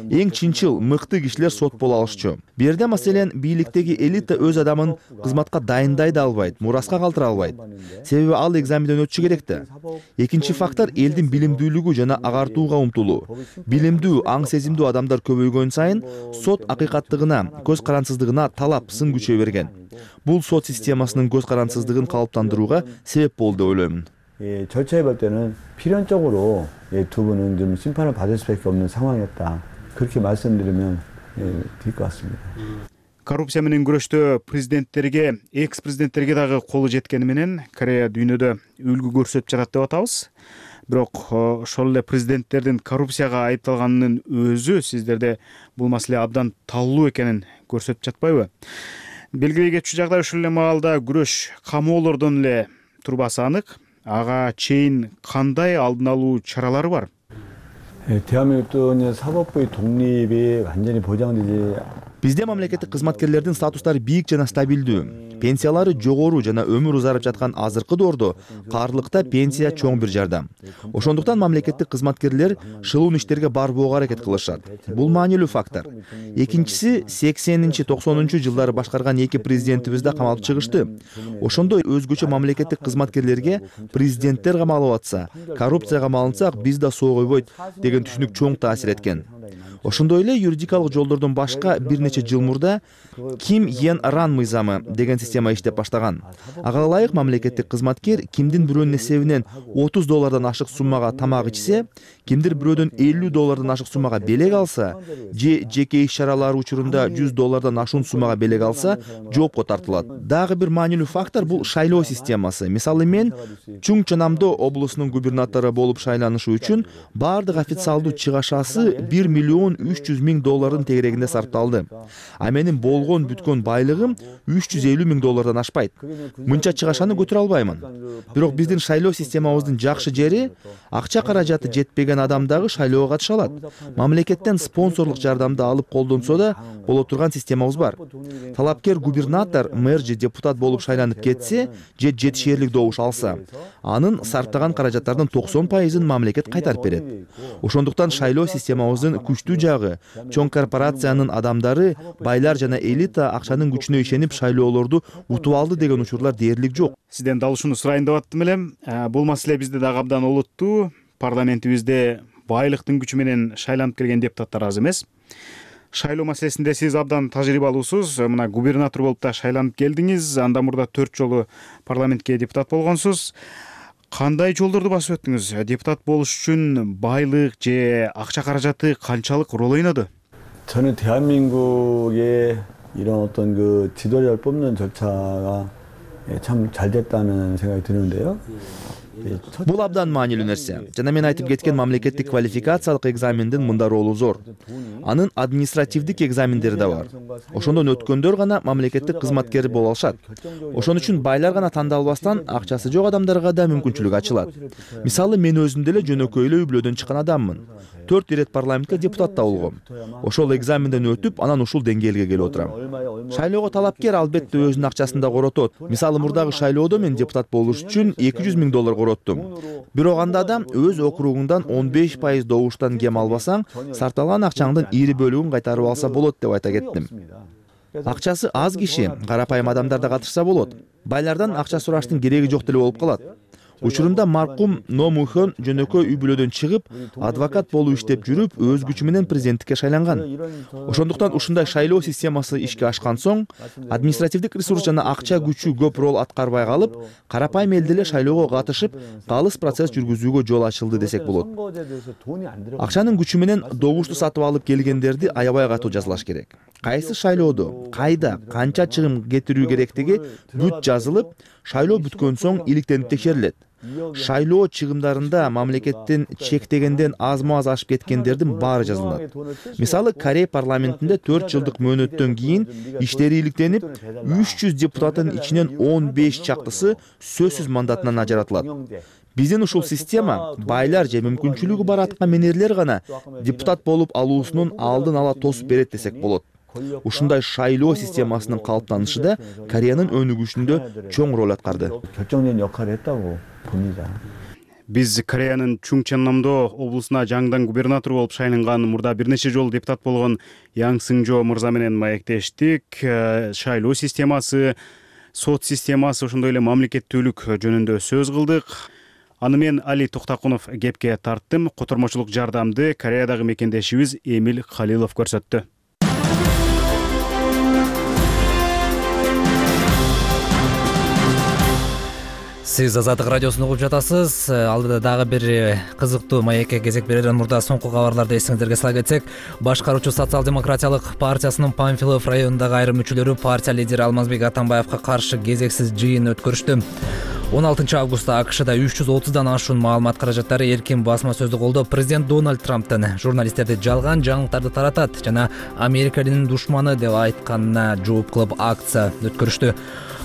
Эң чынчыл, мыкты кишилер сот боло алышчу. Бу жерде маселен бийликтеги элита өз адамын кызматка дайындай да албайт, мураска калтыра албайт. Себеби ал экзаменден өтүшү керек да. Экинчи фактор элдин билимдүүлүгү жана агартууга умтулуу. Билимдүү, аң сезимдүү адамдар көбөйгөн сайын сот акыйкаттыгына, көз карансыздыгына талап, сын күчөй берген. Бул сот системасынын көз карансыздыгын калыптандырууга себеп болду деп ойлоймун. 절차에 볼 때는 필연적으로 두 분은 좀 심판을 받을 수밖에 없는 상황이었다. 그렇게 말씀드리면 될 것 같습니다. Коррупция менен күрөштө президенттерге, экс-президенттерге дагы колу жеткени менен Корея дүйнөдө үлгү көрсөтүп жатат деп атабыз. Бирок ошол эле президенттердин коррупцияга айыпталганынын өзү сиздерде бул маселе абдан талуу экенин көрсөтүп жатпайбы? Белгилей кетчү жагдай ушул эле маалда күрөш камоолордон эле турбасы анык. Ага чейин кандай алдын алуу чаралары бар? 대한민국도 사법부의 독립이 완전히 보장되지 Бизде мамлекеттик кызматкерлердин статустары бийик жана стабилдүү. Пенсиялары жогору жана өмүр узарып жаткан азыркы доордо каарлыкта пенсия чоң бир жардам. Ошондуктан мамлекеттик кызматкерлер шылуун иштерге барбоого аракет кылышат. Бул маанилүү фактор. Экинчиси 80-90 жылдары башкарган эки президентибиз да камалып чыгышты. Ошондой өзгөчө мамлекеттик кызматкерлерге президенттер камалып атса, коррупцияга малынсак биз да соогойбойт деген түшүнүк чоң таасир эткен. Ошондой эле юридикалык жолдордон башка бир нече жыл мурда Ким Йен Ран мыйзамы деген система иштеп баштаган. Ага ылайык мамлекеттик кызматкер кимдин бирөөнүн эсебинен $30 ашык суммага тамак ичсе, кимдир бирөөдөн $50 ашык суммага белек алса, же жеке иш-чаралары учурунда $100 ашуун суммага белек алса, жоопко тартылат. Дагы бир маанилүү фактор бул шайлоо системасы. Мисалы мен Чуңчонамдо облусунун губернатору болуп шайланышы үчүн бардык официалдуу чыгашасы $1,300,000 тегерегинде сарпталды. А менин болгон бүткөн байлыгым $350,000 ашпайт. Мынча чыгашаны көтөрө албаймын. Бирок биздин шайлоо системабыздын жакшы жери акча каражаты жетпеген адам дагы шайлоого катыша алат. Мамлекеттен спонсорлук жардамды алып колдонсо да боло турган системабыз бар. Талапкер губернатор, мэр же депутат болуп шайланып кетсе, же жетишээрлик добуш алса, анын сарптаган каражаттардын 90%-ын мамлекет кайтарып берет. Ошондуктан шайлоо системабыздын күчтүү жагы чоң корпорациянын адамдары, байлар жана элита акчанын күчүнө ишенип шайлоолорду утуп алды деген учурлар дээрлик жок. Сизден дал ушуну сурайын деп аттым элем. Бул маселе бизде дагы абдан олуттуу. Парламентибизде байлыктын күчү менен шайланып келген депутаттар аз эмес. Шайлоо маселесинде сиз абдан тажрыйбалуусуз. Мына губернатор болуп да шайланып келдиңиз. Андан мурда 4 жолу парламентке депутат болгонсуз. Кандай жолдорду басып өттүңүз? Депутат болуш үчүн байлык же акча каражаты канчалык рол ойноду? 저는 대한민국의 이런 어떤 그 지도자를 뽑는 절차가 참 잘 됐다는 생각이 드는데요. Бул абдан маанилүү нерсе. Жана мен айтып кеткен мамлекеттик квалификациялык экзамендин мында ролу зор. Анын административдик экзамендери да бар. Ошондон өткөндөр гана мамлекеттик кызматкер боло алышат. Ошон үчүн байлар гана тандалбастан акчасы жок адамдарга да мүмкүнчүлүк ачылат. Мисалы мен өзүм деле жөнөкөй эле үй бүлөдөн чыккан адаммын. 4 ирет парламентке депутат да болгом. Ошол экзаменден өтүп, анан ушул деңгээлге келип отурам. Шайлоого талапкер албетте өзүнүн акчасын да коротот. Мисалы мурдагы шайлоодо мен депутат болуш үчүн $200,000 короттум. Бирок анда адам өз округуңдан 15% добуштан кем албасаң, сарталган акчаңдын ири бөлүгүн кайтарып алса болот деп айта кеттим. Акчасы аз киши, карапайым адамдар да катышса болот. Байлардан акча сураштын кереги жок деле болуп калат. Учурунда маркум Но Мухон жөнөкөй үй бүлөдөн чыгып, адвокат болуп иштеп жүрүп, өз күчү менен президенттикке шайланган. Ошондуктан ушундай шайлоо системасы ишке ашкан соң, административдик ресурс жана акча күчү көп рол аткарбай калып, карапайым эл деле шайлоого катышып, калыс процесс жүргүзүүгө жол ачылды десек болот. Акчанын күчү менен добушту сатып алып келгендерди аябай катуу жазалаш керек. Кайсы шайлоодо, кайда, канча чыгым кетирүү керектиги бүт жазылып, шайлоо бүткөн соң иликтенип текшерилет. Шайлоо чыгымдарында мамлекеттин чектегенден азма аз ашып кеткендердин баары жазылат. Мисалы, Корея парламентинде 4 жылдык мөөнөттөн кийин иштери иликтенип, 300 депутаттын ичинен 15 чактысы сөзсүз мандатынан ажыратылат. Биздин ушул система байлар же мүмкүнчүлүгү бар аткаминерлер гана депутат болуп алуусунун алдын ала тосуп берет десек болот. Ушундай шайлоо системасынын калыптанышы да Кореянын өнүгүшүндө чоң роль аткарды. 결정적인 역할을 했다고 봅니다. Биз Кореянын Чунгчоннамдо облусуна жаңыдан губернатор болуп шайланган, мурда бир нече жолу депутат болгон Яң Сыңжо мырза менен маектештик. Шайлоо системасы, сот системасы, ошондой эле мамлекеттүүлүк жөнүндө сөз кылдык. Аны мен Али Токтакунов кепке тарттым. Котормочулук жардамды Кореядагы мекендешибиз Эмил Халилов көрсөттү. Сиз Азаттык радиосун угуп жатасыз. Алдыда дагы бир кызыктуу маекке кезек берерден мурда соңку кабарларды эсиңиздерге сала кетсек, башкаруучу социал-демократиялык партиясынын Панфилов районундагы айрым мүчөлөрү партия лидери Алмазбек Атамбаевга каршы кезексиз жыйын өткөрүштү. 16 августта АКШда 330дан ашуун маалымат каражаттары эркин басма сөздү колдоп, президент Дональд Трамптын журналисттерди жалган жаңылыктарды таратат жана Америка элинин душманы деп айтканына жооп кылып акция өткөрүштү.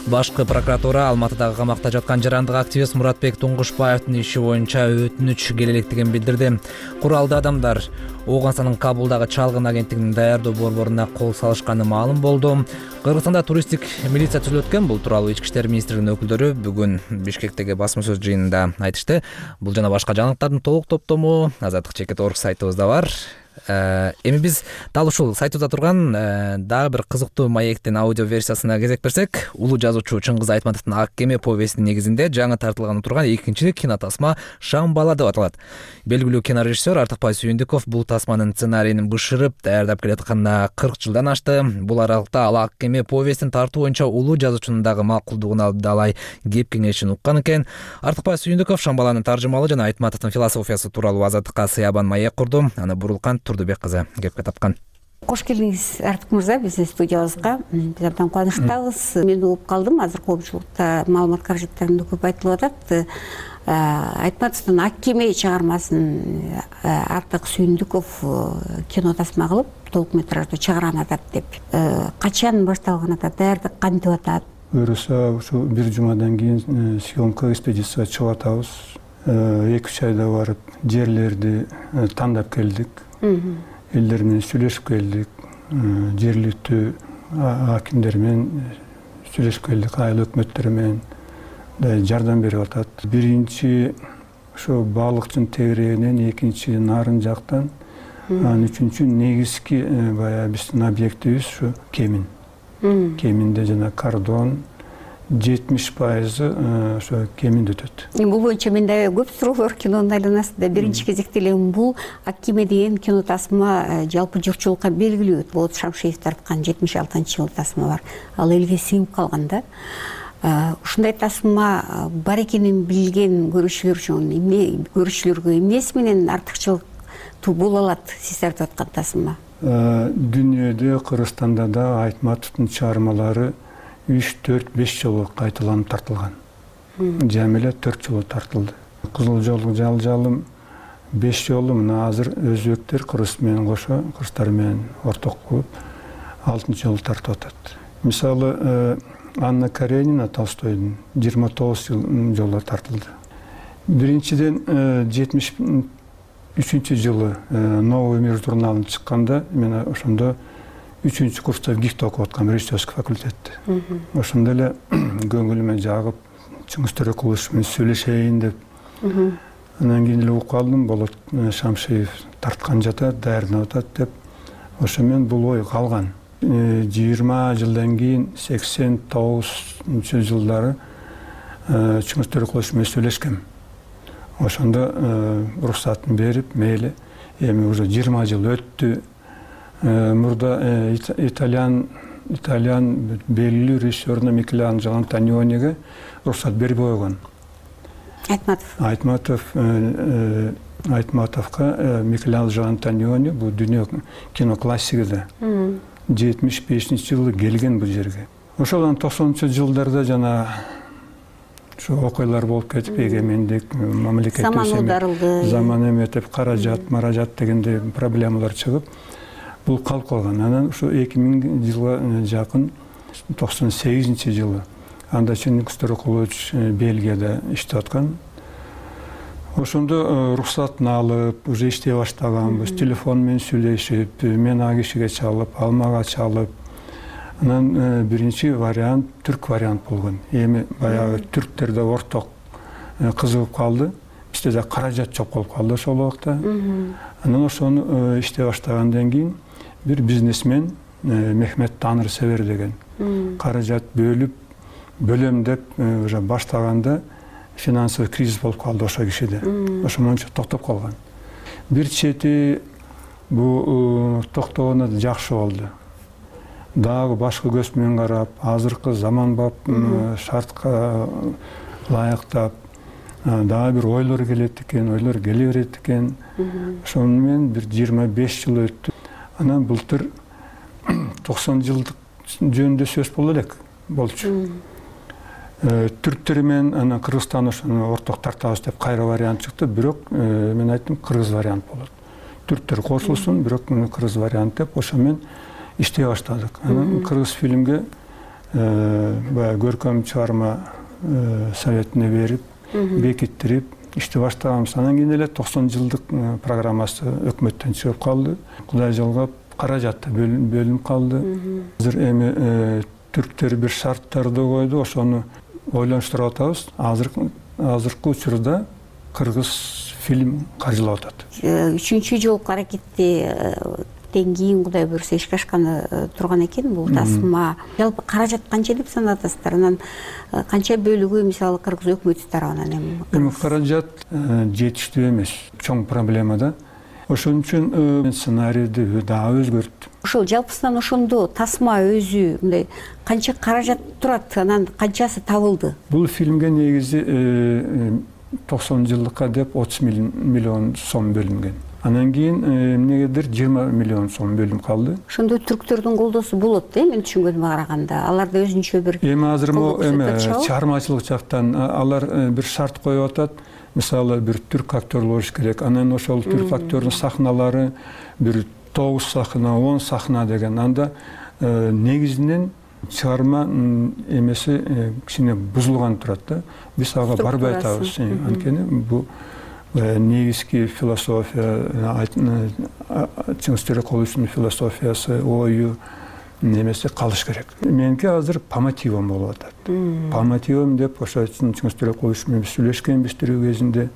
Башкы прокуратура Алматыдагы камакта жаткан жарандык активист Муратбек Туңгушбаевдин иши боюнча өтүнүч келе электигин билдирди. Куралдуу адамдар Ооганстанын Кабулдагы чалгын агенттигинин даярдоо борборуна кол салышканы маалым болду. Кыргызстанда туристтик милиция түзүлөт экен. Бул тууралуу Ички иштер министрлигинин өкүлдөрү бүгүн Бишкектеги басма сөз жыйынында айтышты. Бул жана башка жаңылыктардын толук топтому Азаттык.org сайтыбызда бар. Эми биз дал ушул сайтыбызда турган дагы бир кызыктуу маектин аудио версиясына кезек берсек, улуу жазуучу Чыңгыз Айтматовдун Ак кеме повестинин негизинде жаңы тартылганы турган экинчи кинотасма Шам бала деп аталат. Белгилүү кинорежиссер Артыкбай Сүйүндүков бул тасманын сценарийин бышырып даярдап келатканына 40 жылдан ашты. Бул аралыкта ал Ак кеме повестин тартуу боюнча улуу жазуучунун дагы макулдугун алып далай кеп кеңешин уккан экен. Артыкбай Сүйүндүков Шам баланын таржымалы жана Айтматовдун философиясы тууралуу Азаттыкка сыябан маек курду. Аны Бурулкан Турдубек кызы кепке тапкан. Кош келдиңиз Артык мырза биздин студиябызга. Биз абдан кубанычтабыз. Мен угуп калдым, азыр коомчулукта маалымат каражаттарында көп айтылып атат. Айтматовдун Ак кеме чыгармасын Артык Сүйүндүков кино тасма кылып, толукметраждуу чыгарган атат деп. Качан башталган атат, даярдык кантип атат? Буюрса, ушу бир жумадан кийин съемка экспедицияга чыгып атабыз. 2-3 айда барып жерлерди тандап келдик. Элдер менен сүйлөшүп келдик. Жергиликтүү акимдер менен сүйлөшүп келдик, айыл өкмөттөрү менен жардам берип атат. Биринчи ошо балыкчынын тегерегинен, экинчи нарын жактан, анан үчүнчү негизги баягы биздин объектибиз ушу Кемин. Кеминде жана Кардон 70% ошо Кеминде өтөт. Бул боюнча менде көп суроолор кинонун айланасында. Биринчи кезекте эле бул Ак кеме деген кино тасма жалпы журтчулукка белгилүү. Болот Шамшиев тарткан 76-жылы тасма бар. Ал элге сиңип калган да. Ушундай тасма бар экенин билген көрүүчүлөр үчүн көрүүчүлөргө эмнеси менен артыкчылык боло алат сиз тартып аткан тасма? Дүйнөдө, Кыргызстанда да Айтматовдун чыгармалары 3-4-5 жолу кайталанып тартылган. Жами эле 4 жолу тартылды. Кызыл жолу жалжалым 5 жолу, мына азыр өзбектер кыргыз менен кошо, кыргыздар менен орток кылып 6 жолу тартып атат. Мисалы, Анна Каренина Толстойдун 29 жолу тартылды. Биринчиден 73-жылы Новый мир журналын чыкканда мен ошондо 3-курста курста ГИКте окуп аткам, режиссерский факультетте. Ошондо эле көңүлүмө жагып, Чыңгыз Төрөкулович менен сүйлөшөйүн деп. Анан кийин эле угуп калдым, Болот Шамшиев тарткан жатат, даярданып атат деп. Ошо мен бул ой калган. 20 жылдан кийин 89-жылдары Чыңгыз Төрөкулович менен сүйлөшкөм. Ошондо уруксатын берип, мейли, эми уже 20 жыл өттү. Мурда итальян белгилүү режиссерна Микеланджело Антониониге уруксат берип койгон. Айтматовго Микеланджело Антониони бул дүйнө кино классиги да. 75-жылы келген бул жерге. Ошол 90-жылдарда жана ушу окуялар болуп кетип, эгемендик, мамлекет заман оодарылды, заман эметип, каражат, маражат дегендей проблемалар чыгып, бул калып калган. Анан ушу 2000 жылга жакын 98-жылы анда Чингиз Торокулович Бельгияда иштеп аткан. Ошондо рухсатын алып, уже иштей баштаганбыз. Телефон менен сүйлөшүп, мен а кишиге чалып, ал мага чалып. Анан биринчи вариант түрк вариант болгон. Эми баягы түрктерде орток кызыгып калды. Бизде да каражат жок болуп калды ошол убакта. Анан ошону иштей баштагандан кийин бир бизнесмен Мехмет Таныр Север деген каражат бөлөм деп уже баштаганда финансовый кризис болуп калды ошо кишиде. Ошондо токтоп калган. Бир чети бул токтогону жакшы болду. Дагы башка көз менен карап, азыркы заманбап шартка ылайыктап, дагы бир ойлор келет экен, ойлор келе берет экен. Ошону менен бир 25 жыл өттү. Анан былтыр 90 жылдык жөнүндө сөз болду элек, болчу. Түрктөр менен анан Кыргызстан ошону орток тартабыз деп кайра вариант чыкты, бирок мен айттым кыргыз вариант болот. Түрктөр кошулсун, бирок кыргыз вариант деп ошо менен иштей баштадык. Анан кыргыз фильмге баягы көркөм чыгарма советине берип, бекиттирип иштей баштаганбыз. Анан кийин эле 90 жылдык программасы өкмөттөн чыгып калды. Кудай жалгап, каражат бөлүнүп калды. Азыр эми түрктөр бир шарттарды койду, ошону ойлонуштуруп атабыз. Азыркы учурда кыргыз фильм каржылап атат. 3-чү жолку аракетти кийин Кудай буйруса ишке ашканы турган экен бул тасма. Жалпы каражат канча деп санатасыздар? Анан канча бөлүгү мисалы кыргыз өкмөтү тарабынан эми каражат жетиштүү эмес, чоң проблема да. Ошон үчүн сценарийди дагы өзгөрттүм. Ошол жалпысынан ошондо тасма өзү мындай канча каражат турат, анан канчасы табылды? Бул фильмге негизи 90 жылдыкка деп 30 миллион сом бөлүнгөн. Анан кийин эмнегедир 20 миллион сом бөлүнүп калды. Ошондо түрктөрдүн колдоосу болот да, мен түшүнгөнүмө караганда. Аларда өзүнчө бир эми азыр чыгармачылык жактан алар бир шарт коюп атат. Мисалы бир түрк актер болуш керек. Анан ошол түрк актердин сахналары бир 9 сахна, 10 сахна деген. Анда негизинен чыгарма эмеси кичине бузулган турат да. Биз ага барбай атабыз. Анткени бул негизги философия, Чингиз Торокуловичтин философиясы, ою немесе калыш керек. Меники азыр по мотивам болуп атат. По мотивам деп ошо Чингиз Торокулович менен сүйлөшкөнбүз тирүү кезинде,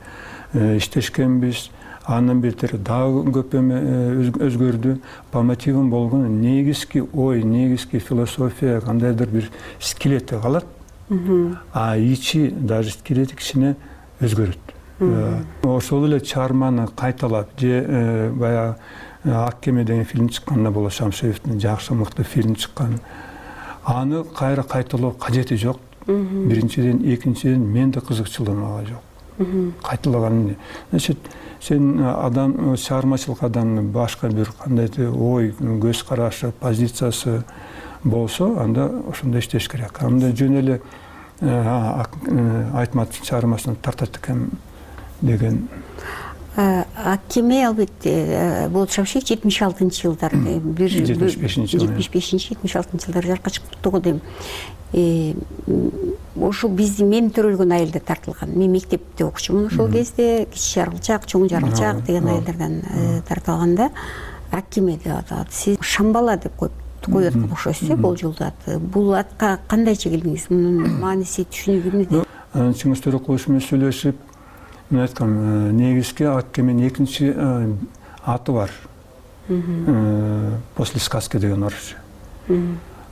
иштешкенбиз. Андан бетер дагы көп эме өзгөрдү. По мотивам болгон негизги ой, негизги философия кандайдыр бир скелети калат. А ичи даже скелети кичине өзгөрөт. Ошол эле чыгарманы кайталап же баягы Ак кеме деген фильм чыкканда болот, Шамшеевдин жакшы мыкты фильм чыккан. Аны кайра кайталоо кажети жок. Биринчиден, экинчиден мен да кызыкчылыгым ага жок. Кайталаган. Значит, сен адам чыгармачылык адамдын башка бир кандайдыр ой, көз карашы, позициясы болсо, анда ошондой иштеш керек. Анда жөн эле Айтматовдун чыгармасына тартат экен деген. Ак кеме албетте болот Шамшиев 76-жылдар, 75-76-жылдар жарыкка чыкты го дейм. Ошо биздин мен төрөлгөн айылда тартылган. Мен мектепте окучумун ошол кезде, кичи жарылчак, чоң жарылчак деген айылдардан тартылганда Ак кеме деп аталат. Сиз Шамбала деп коюп аткан окшойсуз, бул жылда. Бул атка кандайча келдиңиз? Мунун мааниси, түшүнүгү эмнеде? Чингиз Торокулович менен сүйлөшүп, мен айткам, негизги Ак кеменин экинчи аты бар. После сказки деген орусча.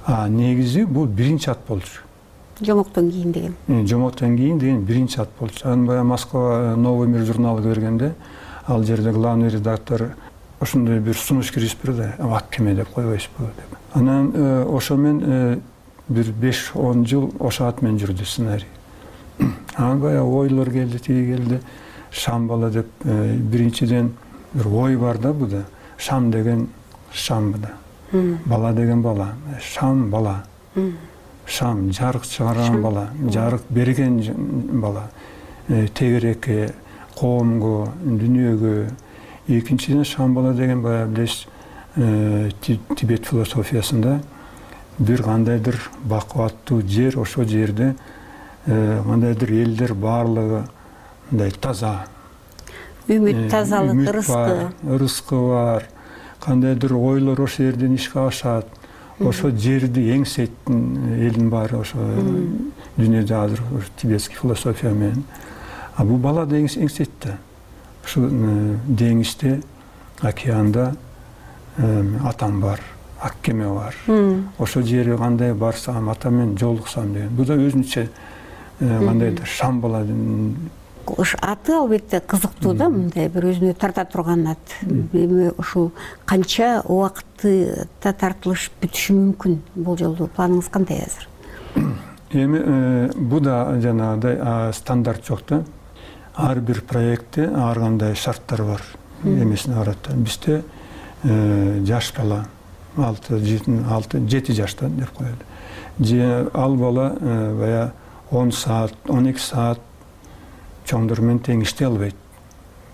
А негизи бул биринчи ат болчу. Жомоктон кийин деген. Жомоктон кийин деген биринчи ат болчу. Анан баягы Москва Новый мир журналыга бергенде, ал жерде главный редактор ошондой бир сунуш киргизип берди, Ак кеме деп койбойсузбу деп. Анан ошо менен бир 5-10 жыл ошо ат менен жүрдү сценарий. Анан баягы ойлор келди, тиги келди. Шамбала деп биринчиден бир ой бар да буда. Шам деген шам буда. Бала деген бала. Шам бала. шам жарык чыгарган бала, жарык берген бала, тегерекке, коомго, дүйнөгө. Экинчиден шам бала деген баягы билесиз, Тибет философиясында бир кандайдыр бакубаттуу жер, ошол жерде кандайдыр элдер баардыгы мындай таза, үмүт, тазалык, ырыскы бар, кандайдыр ойлор ошол жерден ишке ашат, ошо жерди эңсейтин элдин баары ошо дүйнөдө азыр тибетский философия менен. А бул бала да эңсейт да. Ушул деңизде, океанда атам бар, ак кеме бар. Ошол жерге кандай барсам, ата менен жолуксам деген. Бул да өзүнчө кандайдыр шам бала. Аты албетте кызыктуу да, мындай бир өзүнө тарта турган ат. Эми ушул канча убакытта тартылыш бүтүшү мүмкүн? Бул жолду планыңыз кандай азыр? Эми бул да жанагыдай стандарт жок да. Ар бир проектте ар кандай шарттар бар. Эмесине карата. Бизде жаш бала 6-7 жашта деп коелу. Ал бала бая 10 саат, 12 саат чоңдор менен тең иштей албайт.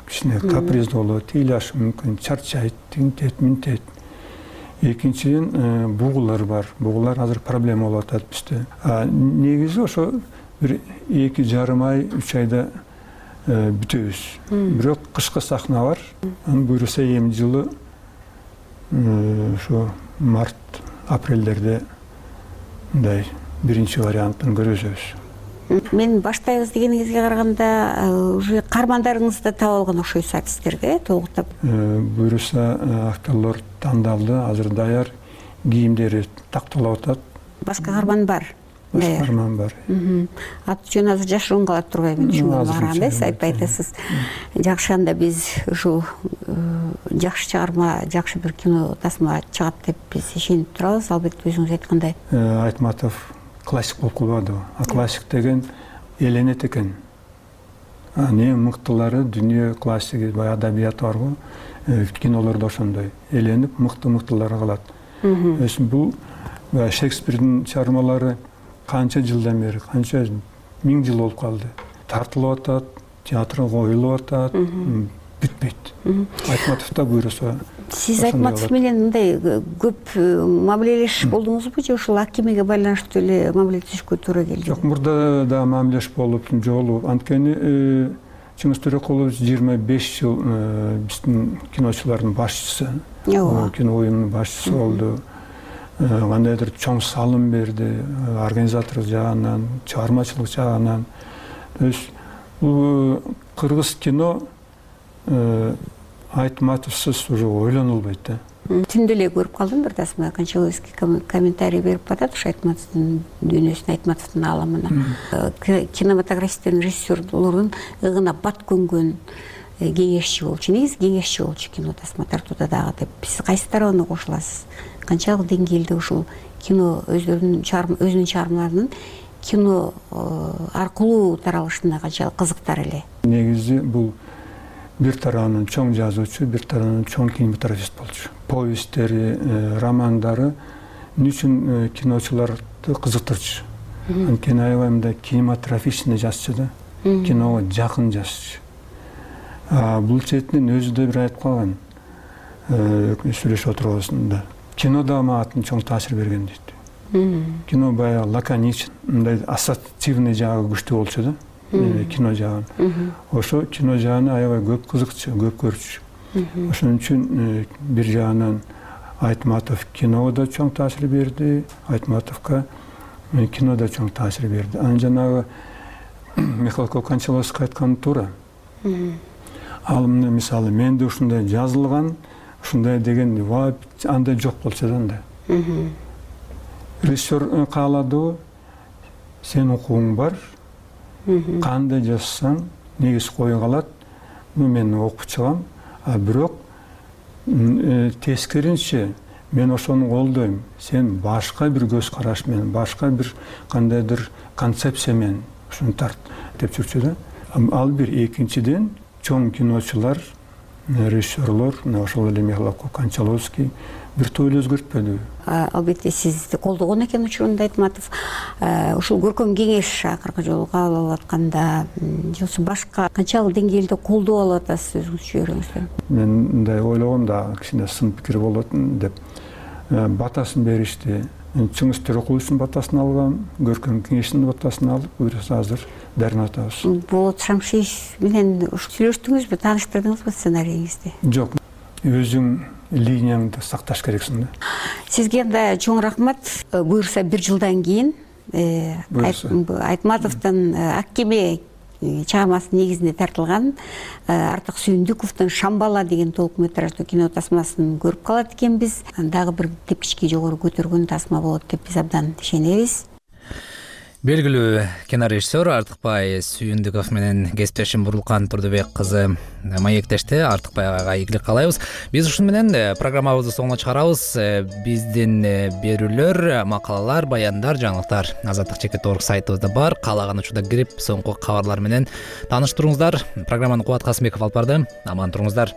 Кичине каприздүү болот, ыйлашы мүмкүн, чарчайт, тинтет. Экинчиден бугулар бар. Бугулар азыр проблема болуп атат бизде. Негизи ошо бир 2,5 ай, 3 айда бүтөбүз. Бирок кышкы сахна бар. Буюрса эми жылы ошо март, апрелдерде мындай биринчи вариантын көрөбүз. Мен баштайбыз дегениңизге караганда уже каармандарыңызды таап алган окшойсуз сиздерге, толуктап. Буюрса актерлор тандалды, азыр даяр, кийимдери такталып атат. Башка каарман бар. Башка каарман бар. Аты жөнү азыр жашыруун калат турбайбы, ушунга барганда сиз айтпай атасыз. Жакшы, анда биз ушул жакшы чыгарма, жакшы бир кино тасма чыгат деп биз ишенип турабыз. Албетте өзүңүз айткандай. Айтматов классик болуп калбады. Классик деген эленет экен. Эң мыктылары дүйнө классиги, баягы адабият барбы? Кинолордо ошондой эленип мыктылары калат. Бул Шекспирдин чыгармалары канча жылдан бери, канча 1000 жыл болуп калды. Тартылып атат, театрга коюлуп атат, бүтпөйт. Айтматов да буйруса. Сиз Айтматов менен мындай көп мамилелешип болдуңузбу же ушул акимеге байланыштуу эле мамилелешүүгө туура келди? Жок, мурда да мамилелеш болуп, жолу. Анткени Чыңгыз Төрөкулович 25 жыл биздин киночулардын башчысы, кино уюмунун башчысы болду. Кандайдыр чоң салым берди, организатор жагынан, чыгармачылык жагынан. Бул кыргыз кино Айтматовсуз уже ойлонулбайт да. Түндө эле көрүп калдым бир тасма, Кончаловский комментарий берип атат ушу Айтматовдун дүйнөсүнө, Айтматовдун ааламына. Кинематографисттер, режиссерлордун ыгына бат көнгөн кеңешчи болчу. Негизи кеңешчи болчу кино тасма тартууда дагы деп. Сиз кайсы тарабына кошуласыз? Канчалык деңгээлде ушул кино өзүнүн чыгармаларынын кино аркылуу таралышына канчалык кызыктар эле? Негизи бул бир тарабынан чоң жазуучу, бир тарабынан чоң кинематографист болчу. Повесттери, романдары үчүн киночуларды кызыктырчу. Анткени аябай мындай кинематографичный жазчу да, киного жакын жазчу. Бул четинен өзү да бир айтып калган, сүйлөшүп отурбасында. Кино да мага чоң таасир берген дейт. Кино баягы лаконичен, мындай ассоциативный жагы күчтүү болчу да. Кино жагын. Ошо кино жагын аябай көп кызыкчу, көп көрчү. Ошон үчүн бир жагынан Айтматов киного да чоң таасир берди, Айтматовго кино да чоң таасир берди. Анан жанагы Михалков Кончаловский айтканы туура. Ал мисалы менде ушундай жазылган, ушундай деген андай жок болчу да анда. Режиссер кааладыбы, сенин укугуң бар, кандай жазсаң негиз кое калат, мен окуп чыгам, бирок тескеринче мен ошону колдойм, сен башка бир көз караш менен, башка бир кандайдыр концепция менен ушуну тарт деп жүрчү да. Ал бир. Экинчиден чоң киночулар режиссерлор ошол эле Михаил Кончаловский биртөөлө өзгөртпөдү. Албетте сизди колдогон экен учурунда Айтматов. Ушул көркөм кеңеш акыркы жолу кабыл алып атканда же башка канчалык деңгээлде колдоо алып атасыз өзүңүз чөйрөңүздөн? Мен мындай ойлогом да кичине сын пикир болот деп батасын беришти. Чыңгыз Төрөкуловдун батасын алгам, көркөм кеңештин батасын алып, буюрса азыр дарын атабыз. Болот Шамшиев менен сүйлөштүңүзбү, тааныштырдыңызбы сценарийиңизди? Жок, өзүң линияңды сакташ керексиң да. Сизге да чоң рахмат. Буюрса 1 жылдан кийин Айтматовдун Ак кеме чыгармасы негизинде тартылган Артык Сүйүндүковдун Шамбала деген толук-метраждуу кино тасмасын көрүп калат экенбиз. Дагы бир тепкичке жогору көтөргөн тасма болот деп биз абдан ишенебиз. Белгилүү кинорежиссер Артыкбай Сүйүндүков менен кесиптешим Бурулкан Турдубек кызы маектешти. Артыкбай агайга ийгилик каалайбыз. Биз ушун менен программабызды соңуна чыгарабыз. Биздин берүүлөр, макалалар, баяндар, жаңылыктар Азаттык.org сайтыбызда бар. Каалаган учурда кирип, соңку кабарлар менен тааныштырыңыздар. Программаны Кубат Касымбеков алып барды. Аман туруңуздар.